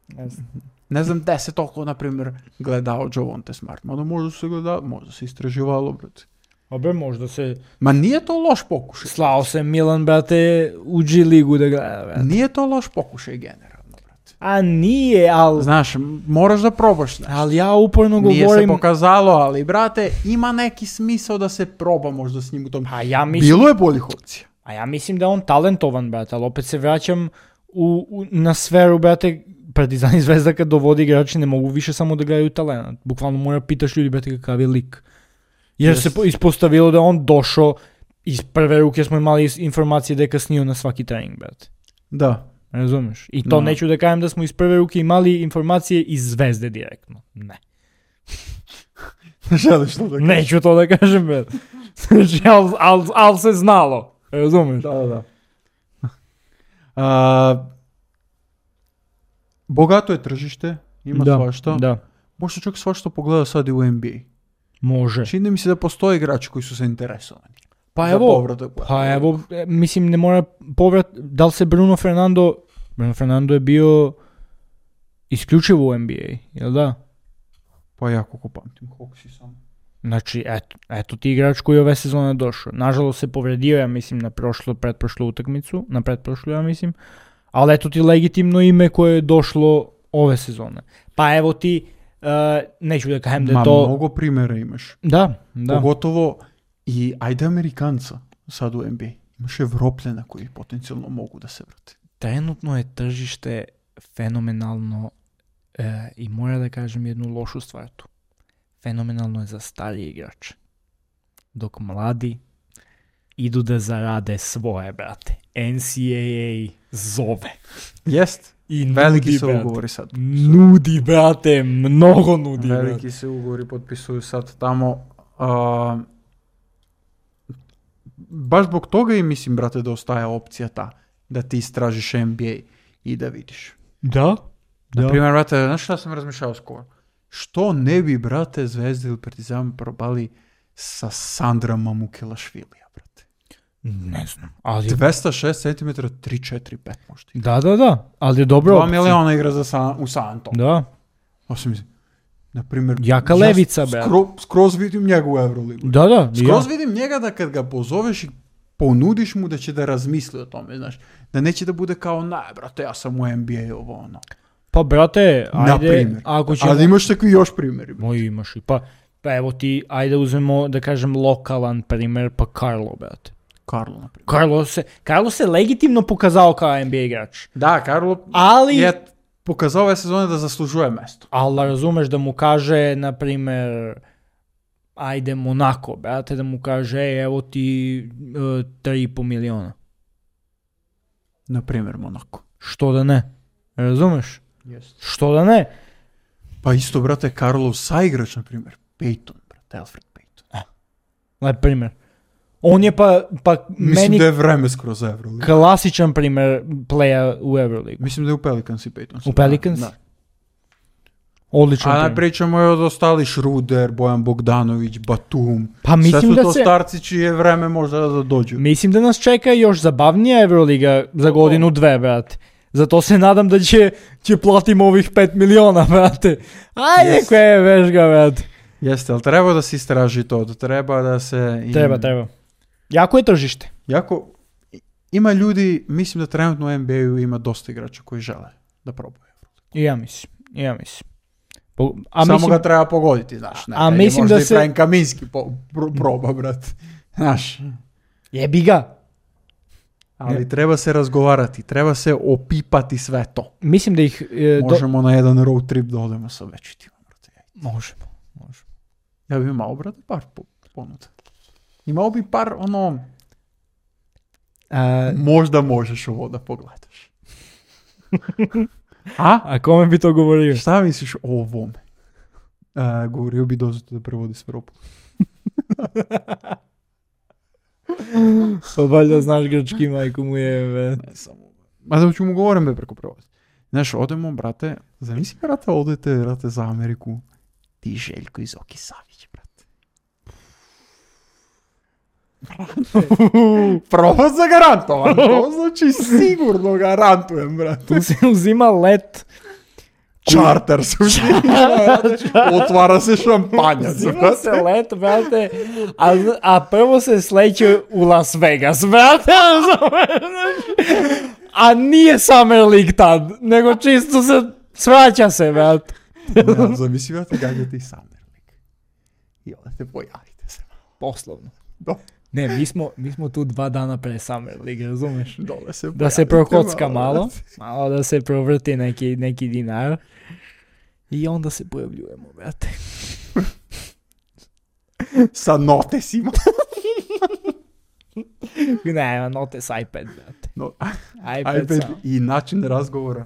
Ne znam. Ne znam da se toliko, na primjer, gledao Javonte Smart. Mada možda se gledao, možda se istraživalo, brate. Obe, možda se Ma nije to loš pokušaj. slao se Milan, brate, u G ligu da gleda, brate. Nije to loš pokušaj generalno, brate. A nije, ali... Znaš, moraš da probaš nešto. Ali ja uporno Nije se govorim... pokazalo, ali, brate, ima neki smisao da se proba možda s njim u tom. A ja mislim... Bilo je boljih opcija. A ja mislim da je on talentovan, brate, ali opet se vraćam u, u, na sferu, brate, Partizan i Zvezda kad dovodi igrači ne mogu više samo da gledaju talent. Bukvalno mora pitaš ljudi, brate, kakav je lik. Jer Jest. se po- ispostavilo da on došao iz prve ruke smo imali is- informacije da je kasnio na svaki trening, brate. Da. Razumeš? I to Da. neću da kažem da smo iz prve ruke imali informacije iz Zvezde direktno. Ne. Ne želiš to da kažeš? Neću to da kažem, brate. Znači, al, al, al se znalo. Razumeš? Da, da, da. A, bogato je tržište, ima da, svašta. Da, Možda čak svašta pogleda sad i u N B A. može. Čini mi se da postoje igrači koji su zainteresovani. Pa za evo, povratak. pa evo, e, mislim ne mora povrat, da li se Bruno Fernando, Bruno Fernando je bio isključivo u N B A, jel da? Pa ja koliko pamtim, koliko si sam. Znači, eto, eto ti igrač koji je ove sezone došao. Nažalost se povredio, ja mislim, na prošlo, pretprošlu utakmicu, na pretprošlu, ja mislim, ali eto ti legitimno ime koje je došlo ove sezone. Pa evo ti, uh, neću da kažem da je Ma, to... mnogo primjera imaš. Da, da. Pogotovo i ajde Amerikanca sad u N B A. Imaš Evropljena koji potencijalno mogu da se vrate. Trenutno je tržište fenomenalno e, i mora da kažem jednu lošu stvar tu. Fenomenalno je za starije igrače. Dok mladi idu da zarade svoje, brate. N C A A zove. Jest. I Veliki nudi, se brate. ugovori sad. Nudi, brate, mnogo nudi, Veliki brate. se ugovori potpisuju sad tamo. A, baš zbog toga i mislim, brate, da ostaje opcija ta da ti istražiš N B A i da vidiš. Da? Na primjer, brate, znaš šta sam razmišljao skoro? Što ne bi, brate, Zvezda ili Partizan probali sa Sandra Mamukelašvilija, brate? Ne znam, ali... dvesta šest centimetara, tri četiri pet možda. Da, da, da, ali je dobro. dva miliona igra za San, u Santo. Da. Osim, na primjer, Jaka ja levica, brate. skro, skroz vidim njega u Euroligu. Da, da, Skroz ja. vidim njega da kad ga pozoveš i ponudiš mu da će da razmisli o tome, znaš. Da neće da bude kao, ne, brate, ja sam u N B A ovo, ono. Pa, brate, Na ajde, primjer. ako ćemo... Ali imaš takvi još primjeri. brate. Moj imaš i pa, pa evo ti, ajde uzmemo da kažem lokalan primjer, pa Carlo, brate. Karlo, na primjer. Carlo se, Carlo se legitimno pokazao kao N B A igrač. Da, Karlo Ali, je pokazao ove sezone da zaslužuje mesto. ali da razumeš da mu kaže, na primjer, ajde Monaco, brate, da mu kaže, ej, evo ti uh, tri i po miliona. Na primjer, Monaco. Što da ne? Razumeš? Jest. Što da ne? Pa isto, brate, Karlov saigrač, na primjer, Peyton, brate, Alfred Peyton. Na primjer. On je pa, pa Mislim meni da je vreme skroz Euroligu. klasičan primjer playa u Euroligu. Mislim da je u Pelicans i Peyton. U Pelicans? Da. Odličan A ne primjer. pričamo je od ostali Šruder, Bojan Bogdanović, Batum. Pa mislim Sve su da to se... starci čije je vreme možda da dođu. Mislim da nas čeka još zabavnija Euroliga za godinu dve, brate. Zato se nadam da će, će platimo ovih pet miliona, brate. Ajde, Yes. koje je vešga, brate. Jeste, ali treba da se istraži to, da treba da se... im- Treba, treba. Jako je tržište. Jako, ima ljudi, mislim da trenutno u N B A-u ima dosta igrača koji žele da probaju. I ja mislim, i ja mislim. Po- a Samo mislim, ga treba pogoditi, znaš. Ne, A ne, mislim možda da i se- Frank Kaminski po, pro, proba, brate. Znaš, jebi ga. ali Ne. treba se razgovarati, treba se opipati sve to. Mislim da ih... e, do- Možemo na jedan road trip da odemo sa većitima, brate. Možemo, možemo. Ja bih imao, brate, par po- ponuda. Imao bi par, ono, A, možda možeš ovo da pogledaš. A? a kome bi to govorio? Šta misliš o ovome? E, govorio bi dozvati da prevodi s Evropu. Pa valjda znaš grčki, majku mu je, be. Ne samo. Ma da ću mu govorim be preko prevoda. Znaš, odemo, brate, zamisli, brate, odete, brate, za Ameriku. Ti Željko iz Oki Savić, brate. Prvo za garantovan, to znači sigurno garantujem, brate. Tu se uzima let. Čarter se uzima, otvara se šampanjac, Uzima se brate. let, brate, a, a prvo se sleće u Las Vegas, brate, a nije Summer League tad, nego čisto se svraća se, brate. Ja, zamisli, brate, gađate i Summer League. I onda te pojavite se. Poslovno. Do, Ne, mi smo, mi smo tu dva dana pre Summer League, razumeš? dole se Da se pojavite prokocka malo, brate. malo da se provrti neki, neki dinar i onda se pojavljujemo, brate. Sa notesima. Nema notes iPad, brate. No, iPad, iPad samo. i način razgovora.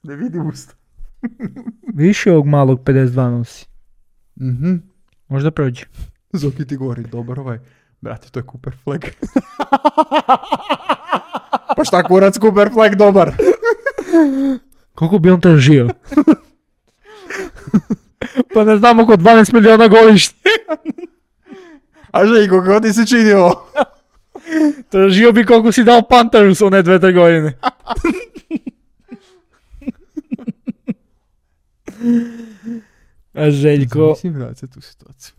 Ne vidim usta. Više ovog malog pedeset dva nosi. Mhm. Možda prođe. Zoki ti govori, dobar ovaj. Brate, to je Cooper Flag. Pa šta kurac Cooper Flag dobar? Koliko bi on tražio? Pa ne znam, oko dvanaest miliona godišnje. A Željko, kako ti se čini ovo? Tražio bi koliko si dao Panteru s one dve, tre godine. A Željko... Mislim, brate, tu situaciju.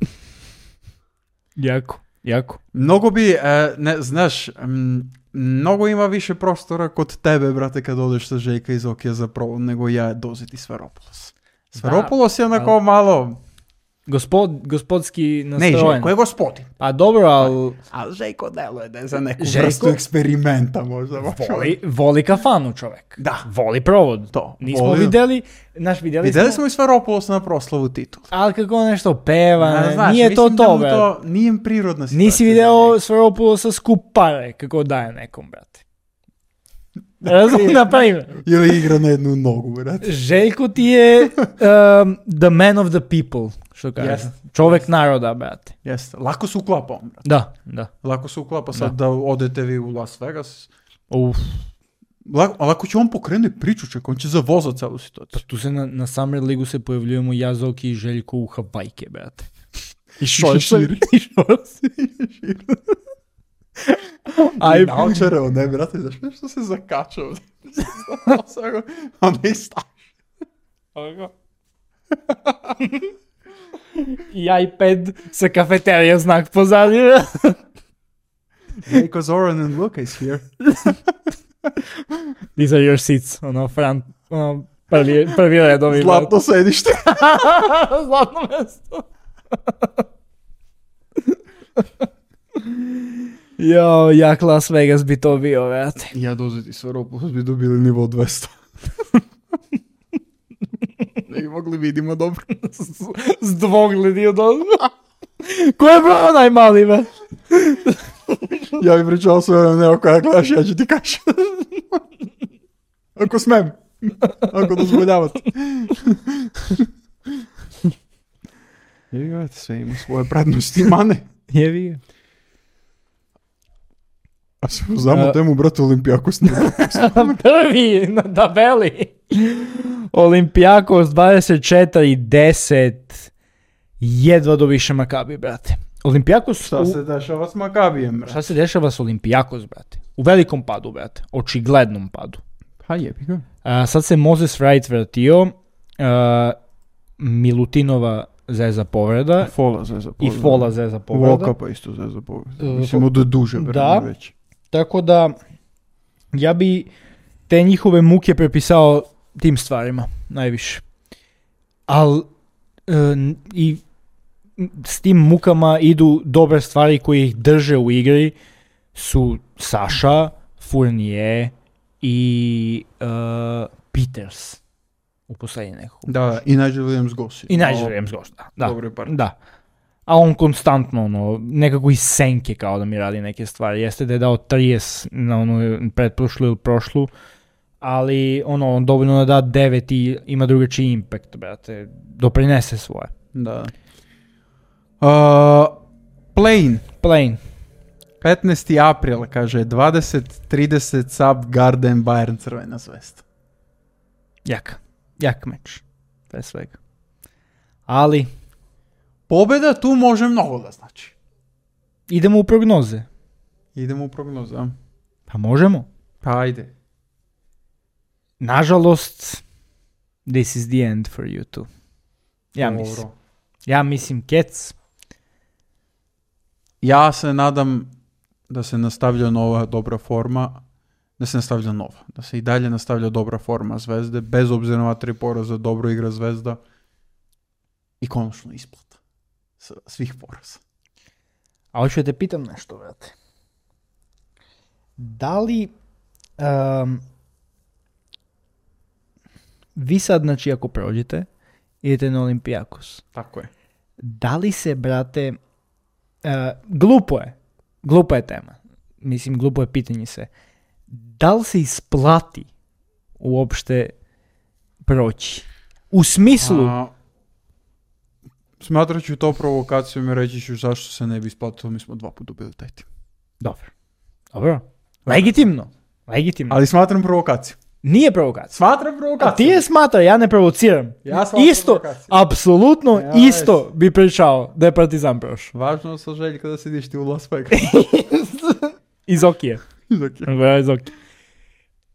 Jako, jako. Mnogo bi, e, ne, znaš, m, mnogo ima više prostora kod tebe, brate, kad odeš sa Željka iz Okija za provod, nego ja dozeti Sferopolos. Sferopolos je onako ali- malo... Gospod, gospodski Ne, nastrojen. Željko je gospodin. Pa dobro, ali Ali Željko deluje da je za neku Željko- vrstu eksperimenta možda. voli, voli kafanu čovjek. Da. Voli provod. To, Nismo voli- vidjeli, naš vidjeli, Vidjeli smo, smo i Sferopolos na proslavu titula. ali kako on nešto peva, A, znaš, nije to mislim da to, mu brate. to nije im prirodna situacija. Nisi video Sferopulosa skup pare, kako daje nekom, brate. Razum, na primjer. Ili igra na jednu nogu, brate. Željko ti je um, the man of the people, što kaže. Jest. Čovjek naroda, brate. Jeste, lako se uklapa on, brate. Da, da. Lako se uklapa sad da, odete vi u Las Vegas. Uf. Lako, ali ako će on pokrenuti priču, čak, on će zavozati celu Pa situaciju. tu se na, na Summer Ligu se pojavljujemo ja, Zoki i Željko u Havajke, brate. I šešir. I šorci. Aj, naočare, on ne, brate, znaš nešto se zakačao. On ne staš. I iPad sa kafeterija znak pozadnje. Hey, cause Oren and Luca is here. These are your seats, ono, front, ono, prvi, prvi redovi. Zlatno sedište. Zlatno mjesto. Jo, jak Las Vegas bi to bio, vrate. Ja dozeti Sferopolos bi dobili nivo dvesta. Ne bi mogli vidimo dobro. S dvogledi od ovoga. Ko je brao najmali, be? Ja bi pričao sve ono, ne, ako ja gledaš, ja ću ti kaži. Ako smem. Ako dozvoljavate. Jevi ga, sve ima svoje prednosti, mane. Jevi ga. A se uzamo A- temu, brate, Olimpijakos. Prvi na tabeli. Olimpijakos dvadeset četiri deset. Jedva do više Makabi, brate. Olimpijakos... Šta u- se dešava s Makabijem, brate? Šta se dešava s Olimpijakos, brate? U velikom padu, brate. Očiglednom padu. Pa jebi ga. A, sad se Moses Wright vratio. A, Milutinova zeza povreda. Fola zeza I povreda. Fola zeza povreda. Volka pa isto zeza povreda. E, Mislim, od duže vreme da. već. Tako da, ja bi te njihove muke prepisao tim stvarima, najviše. Al i s tim mukama idu dobre stvari koje ih drže u igri, su Saša, Fournier i uh, Peters u posljednje nekog. Da, i Nigel Williams Gossi. I Nigel Williams Goss, da. Da. Dobre par. Da. A on konstantno, ono, nekako iz senke kao da mi radi neke stvari. Jeste da je dao trideset na onu pretprošlu ili prošlu, ali ono, on dovoljno da da devet i ima drugačiji impact, brate. Doprinese svoje. Da. Uh, Plain. Plain. petnaesti april, kaže, dvadeset trideset Sub Garden Bayern Crvena zvezda. Jak. Jak meč. Pre svega. Ali, Pobjeda tu može mnogo da znači. idemo u prognoze. Idemo u prognozu, a? Pa možemo. Pa ajde. Nažalost, this is the end for you two. Ja Dobro. mislim. Ja mislim, Kec. Ja se nadam da se nastavlja nova dobra forma, da se nastavlja nova, da se i dalje nastavlja dobra forma Zvezde, bez obzira na tri poraza, dobro igra Zvezda i konačno isplata s- svih poraza. A hoću da te pitam nešto, brate. Da li um, vi sad, znači, ako prođete, idete na Olimpijakos, Tako je. da li se, brate, uh, glupo je, glupa je tema, mislim, glupo je pitanje se, da li se isplati uopšte proći? U smislu... A, smatrat ću to provokacijom i reći ću zašto se ne bi isplatilo, mi smo dva puta dobili taj tim. Dobro. Dobro. Legitimno. Legitimno. Ali smatram provokaciju. Nije provokacija. Smatram provokaciju. A ti je smatra, ja ne provociram. Ja smatram isto, provokaciju. apsolutno Ja, isto bi pričao da je Partizan prošao. Važno sa Željka da sediš ti u Las Vegas. Iz Okije. Okay. Iz Okije.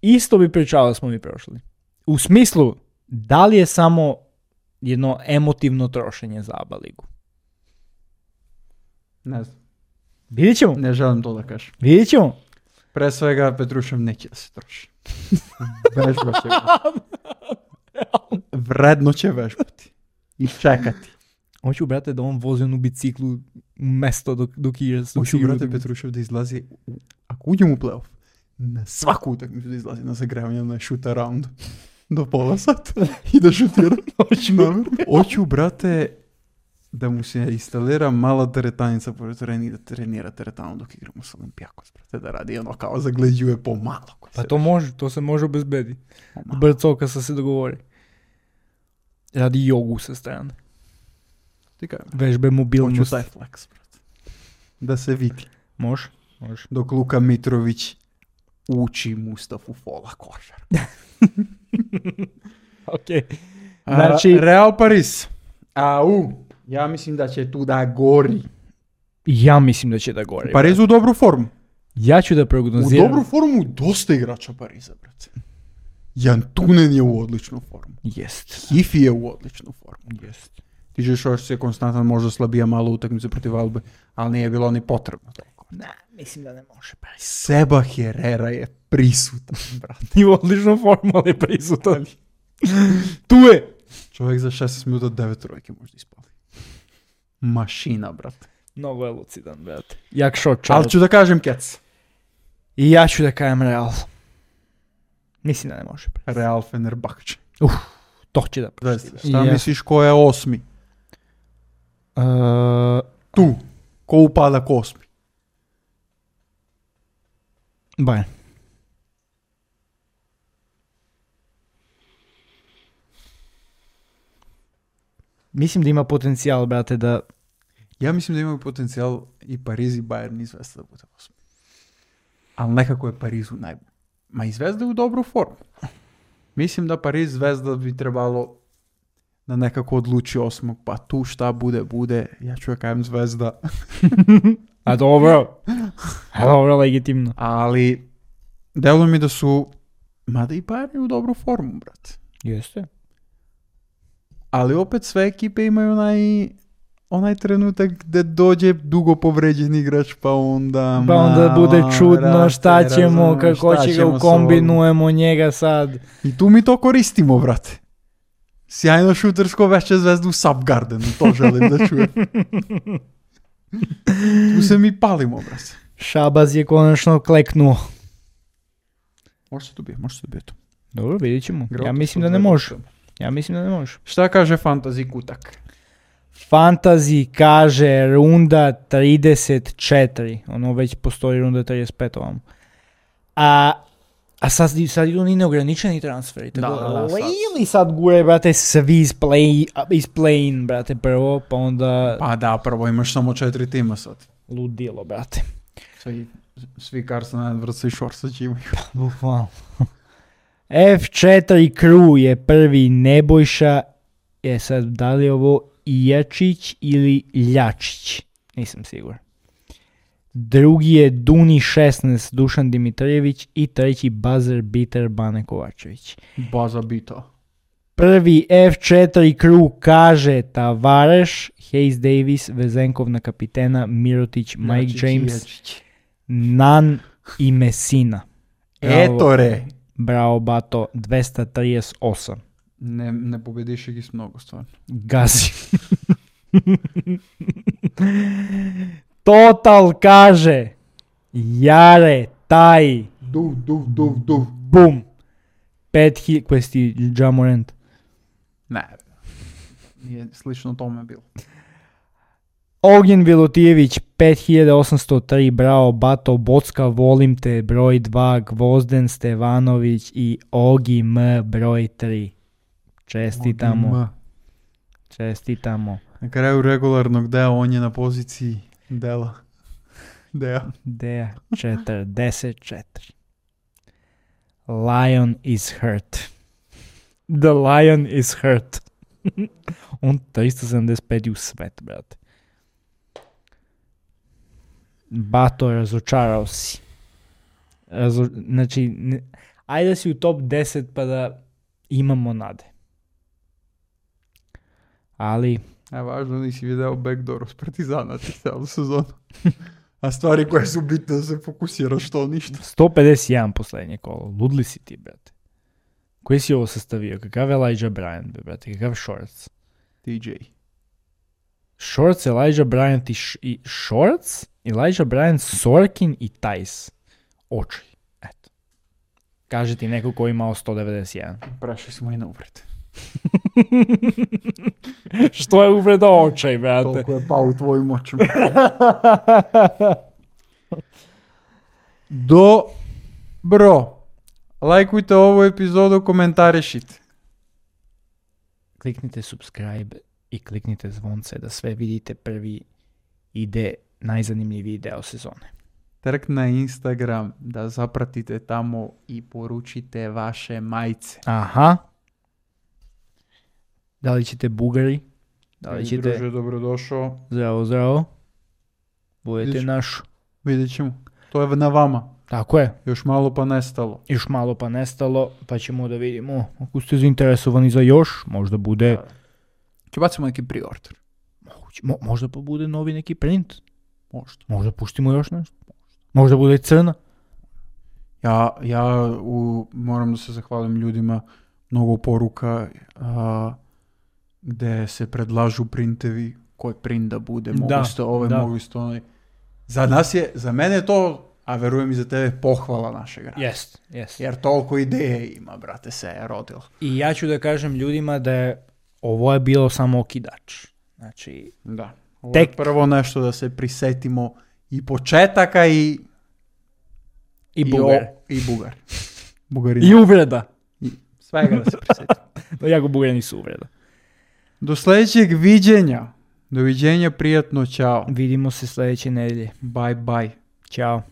Isto bi pričao da smo mi prošli. U smislu, da li je samo jedno emotivno trošenje za A B A ligu? Ne znam. Vidjet ćemo. Ne želim to da kažem. Vidjet ćemo. Pre svega Petrušev neće da se troši. Vežba će vredno će vežbati. I čekati. Hoću, brate, da on vozi onu biciklu u mesto dok, dok igra. Hoću, brate, Petrušev da izlazi, u, ako uđem u play-off, na svaku utakmicu da izlazi na zagravanje na shoot around do pola sata i da šutira. Hoću, Hoću, brate, da mu se instalira mala teretanica pored tereni, da trenira teretanu dok igramo s Olimpijakos, brate, da radi ono kao zagleđuje pomalo. Pa to može, to se može obezbedi. Pomalo. Brcovka sa se dogovori. Radi jogu sa strane. Ti kaj, Vežbe hoću mobilnost. taj flex, brate. Da se vidi. Može, može. Dok Luka Mitrović uči Mustafu Fola košar. Okej. A, Znači- Real Paris. Au, ja mislim da će tu da gori. Ja mislim da će da gori. Pariz u dobru formu. Ja ću da U prognoziram. dobru formu dosta igrača Pariza, brate. Jan Tunen je u odličnu formu. Jest. Hifi je u odličnu formu. Jest. Ti žeš još se konstantan možda slabija malo utakmice protiv Albe, ali nije bilo ni potrebno toliko. Ne, mislim da ne može Paris. Seba Herrera je prisutan, brate. I u odličnu formu, ali je prisutan. Tu je. Čovjek za šesnaest minuta devet trojke možda ispali. Mašina, brate. Mnogo je lucidan, brate. Jak shot Ali child. ću da kažem Kec. I ja ću da kajem Real. Mislim da ne može. Real Fenerbahče. To će da prošli. Šta misliš ko je osmi? Uh, Tu. Ko upada ko osmi? Bayern. Mislim da ima potencijal, brate, da... Ja mislim da imaju potencijal i Pariz i Bayern i Zvezda da bude osmi. Ali nekako je Pariz u najbolju. Ma i Zvezda je u dobru formu. Mislim da Pariz Zvezda bi trebalo da nekako odluči osmog, pa tu šta bude, bude. Ja ću da kajem Zvezda. A dobro. A dobro, legitimno. Ali deluje mi da su, mada i Bayern je u dobru formu, brate. Jeste. Ali opet sve ekipe imaju onaj, onaj trenutak gde dođe dugo povređen igrač, pa onda... Pa onda bude čudno brate, šta ćemo, razumeš, kako šta će ga ćemo sa ukombinujemo njega sad. ovom. I tu mi to koristimo, brate. Sjajno šutersko veće Zvezdu u Subgardenu, to želim da čujem. Tu se mi palimo, brate. Šabaz je konačno kleknuo. Može se dobije, može se dobije to. Dobro, vidjet ćemo. Ja Groto mislim su da ne Zvezda. može. Ja mislim da ne može. Šta kaže Fantasy Kutak? Fantasy kaže runda trideset četiri. Ono već postoji runda trideset pet ovam. A, a sad, sad idu ni neograničeni transferi. Da, Tako, da, da, sad. ili sad gure, brate, svi iz play, iz play-in, brate, prvo, pa onda Pa da, prvo imaš samo četiri tima sad. ludilo, brate. Svi, svi Carson Edwards i Šorsač imaju. Bukvalno. F četiri Crew je prvi Nebojša. Je sad, da li je ovo Ijačić ili Ljačić? Nisam siguran. Drugi je Duni šesnaest Dušan Dimitrijević i treći buzzer beater Bane Kovačević. Baza bita. Prvi F četiri Crew kaže Tavareš, Hayes Davis, Vezenkovna kapitena, Mirotić, Mike Jačić, James, Jačić. Nan i Messina. Bravo. Eto re. Bravo, bato, dvesta trideset osam. Ne, ne pobediš ih mnogo, stvarno. Gazi. Total kaže Jare, taj, Du, du, du, du. bum. Pet hi... Questi Jamorant. Ne, nije slično tome bilo. Ognjen Vilutijević pet hiljada osamsto tri, bravo Bato, Bocka, volim te, broj dva, Gvozden Stevanović i Ogi M, broj tri. Čestitamo. M. Čestitamo. Na kraju regularnog dela on je na poziciji dela. Dea. Deja četrdeset četiri. Lion is hurt. The lion is hurt. On tristo sedamdeset pet u svet, brate. Bato, razočarao si. Razo... Znači, ne... ajde da si u top deset pa da imamo nade. Ali... A važno nisi video backdoor s Partizana celu sezonu. A stvari koje su bitne da se fokusiraš što ništa. sto pedeset jedan poslednje kolo. Ludli si ti, brate. Koji si ovo sastavio? Kakav je Elijah Bryant, brate? Kakav Shorts? T J. Shorts, Elijah Bryant i, š- i Shorts, Elijah Bryant, Sorkin i Tajs. Oči. Eto. Kaže ti neko ko imao sto devedeset jedan. Prešli smo i na uvred. Što je uvreda očaj, brate? Toliko je pao u tvojim očima. Dobro. Lajkujte ovu epizodu, komentarišite. Kliknite subscribe i kliknite zvonce da sve vidite prvi ide najzanimljiviji deo sezone. Trk na Instagram da zapratite tamo i poručite vaše majice. Aha. Da li ćete Bugari? Da li ćete... Druže, dobrodošao. Zdravo, zdravo. Budete Vidjet ćemo. naš. Vidjet ćemo. To je na vama. Tako je. Još malo pa nestalo. Još malo pa nestalo, pa ćemo da vidimo. Ako ste zainteresovani za još, možda bude... Če bacimo neki pre-order. Moguće, mo, možda pa bude novi neki print. Možda. Možda puštimo još nešto. Možda bude crna. Ja, ja u, moram da se zahvalim ljudima, mnogo poruka a, gde se predlažu printevi, koji print da bude, mogu Da, ste ovaj, da. mogu ste onaj. Za nas je, za mene je to, a verujem i za tebe, pohvala našeg rada. Jest, jest. Jer toliko ideje ima, brate, se je rodilo. I ja ću da kažem ljudima da je ovo je bilo samo okidač. Znači, Da. Ovo Tek- je prvo nešto da se prisetimo i početaka i... i Bugar. o- I Bugar. Bugarina. I uvreda. Svega da se prisetimo. Jako Bugari nisu uvreda. Do sljedećeg viđenja. Doviđenja, prijatno, čao. Vidimo se sljedeće nedelje. Bye bye. Ćao.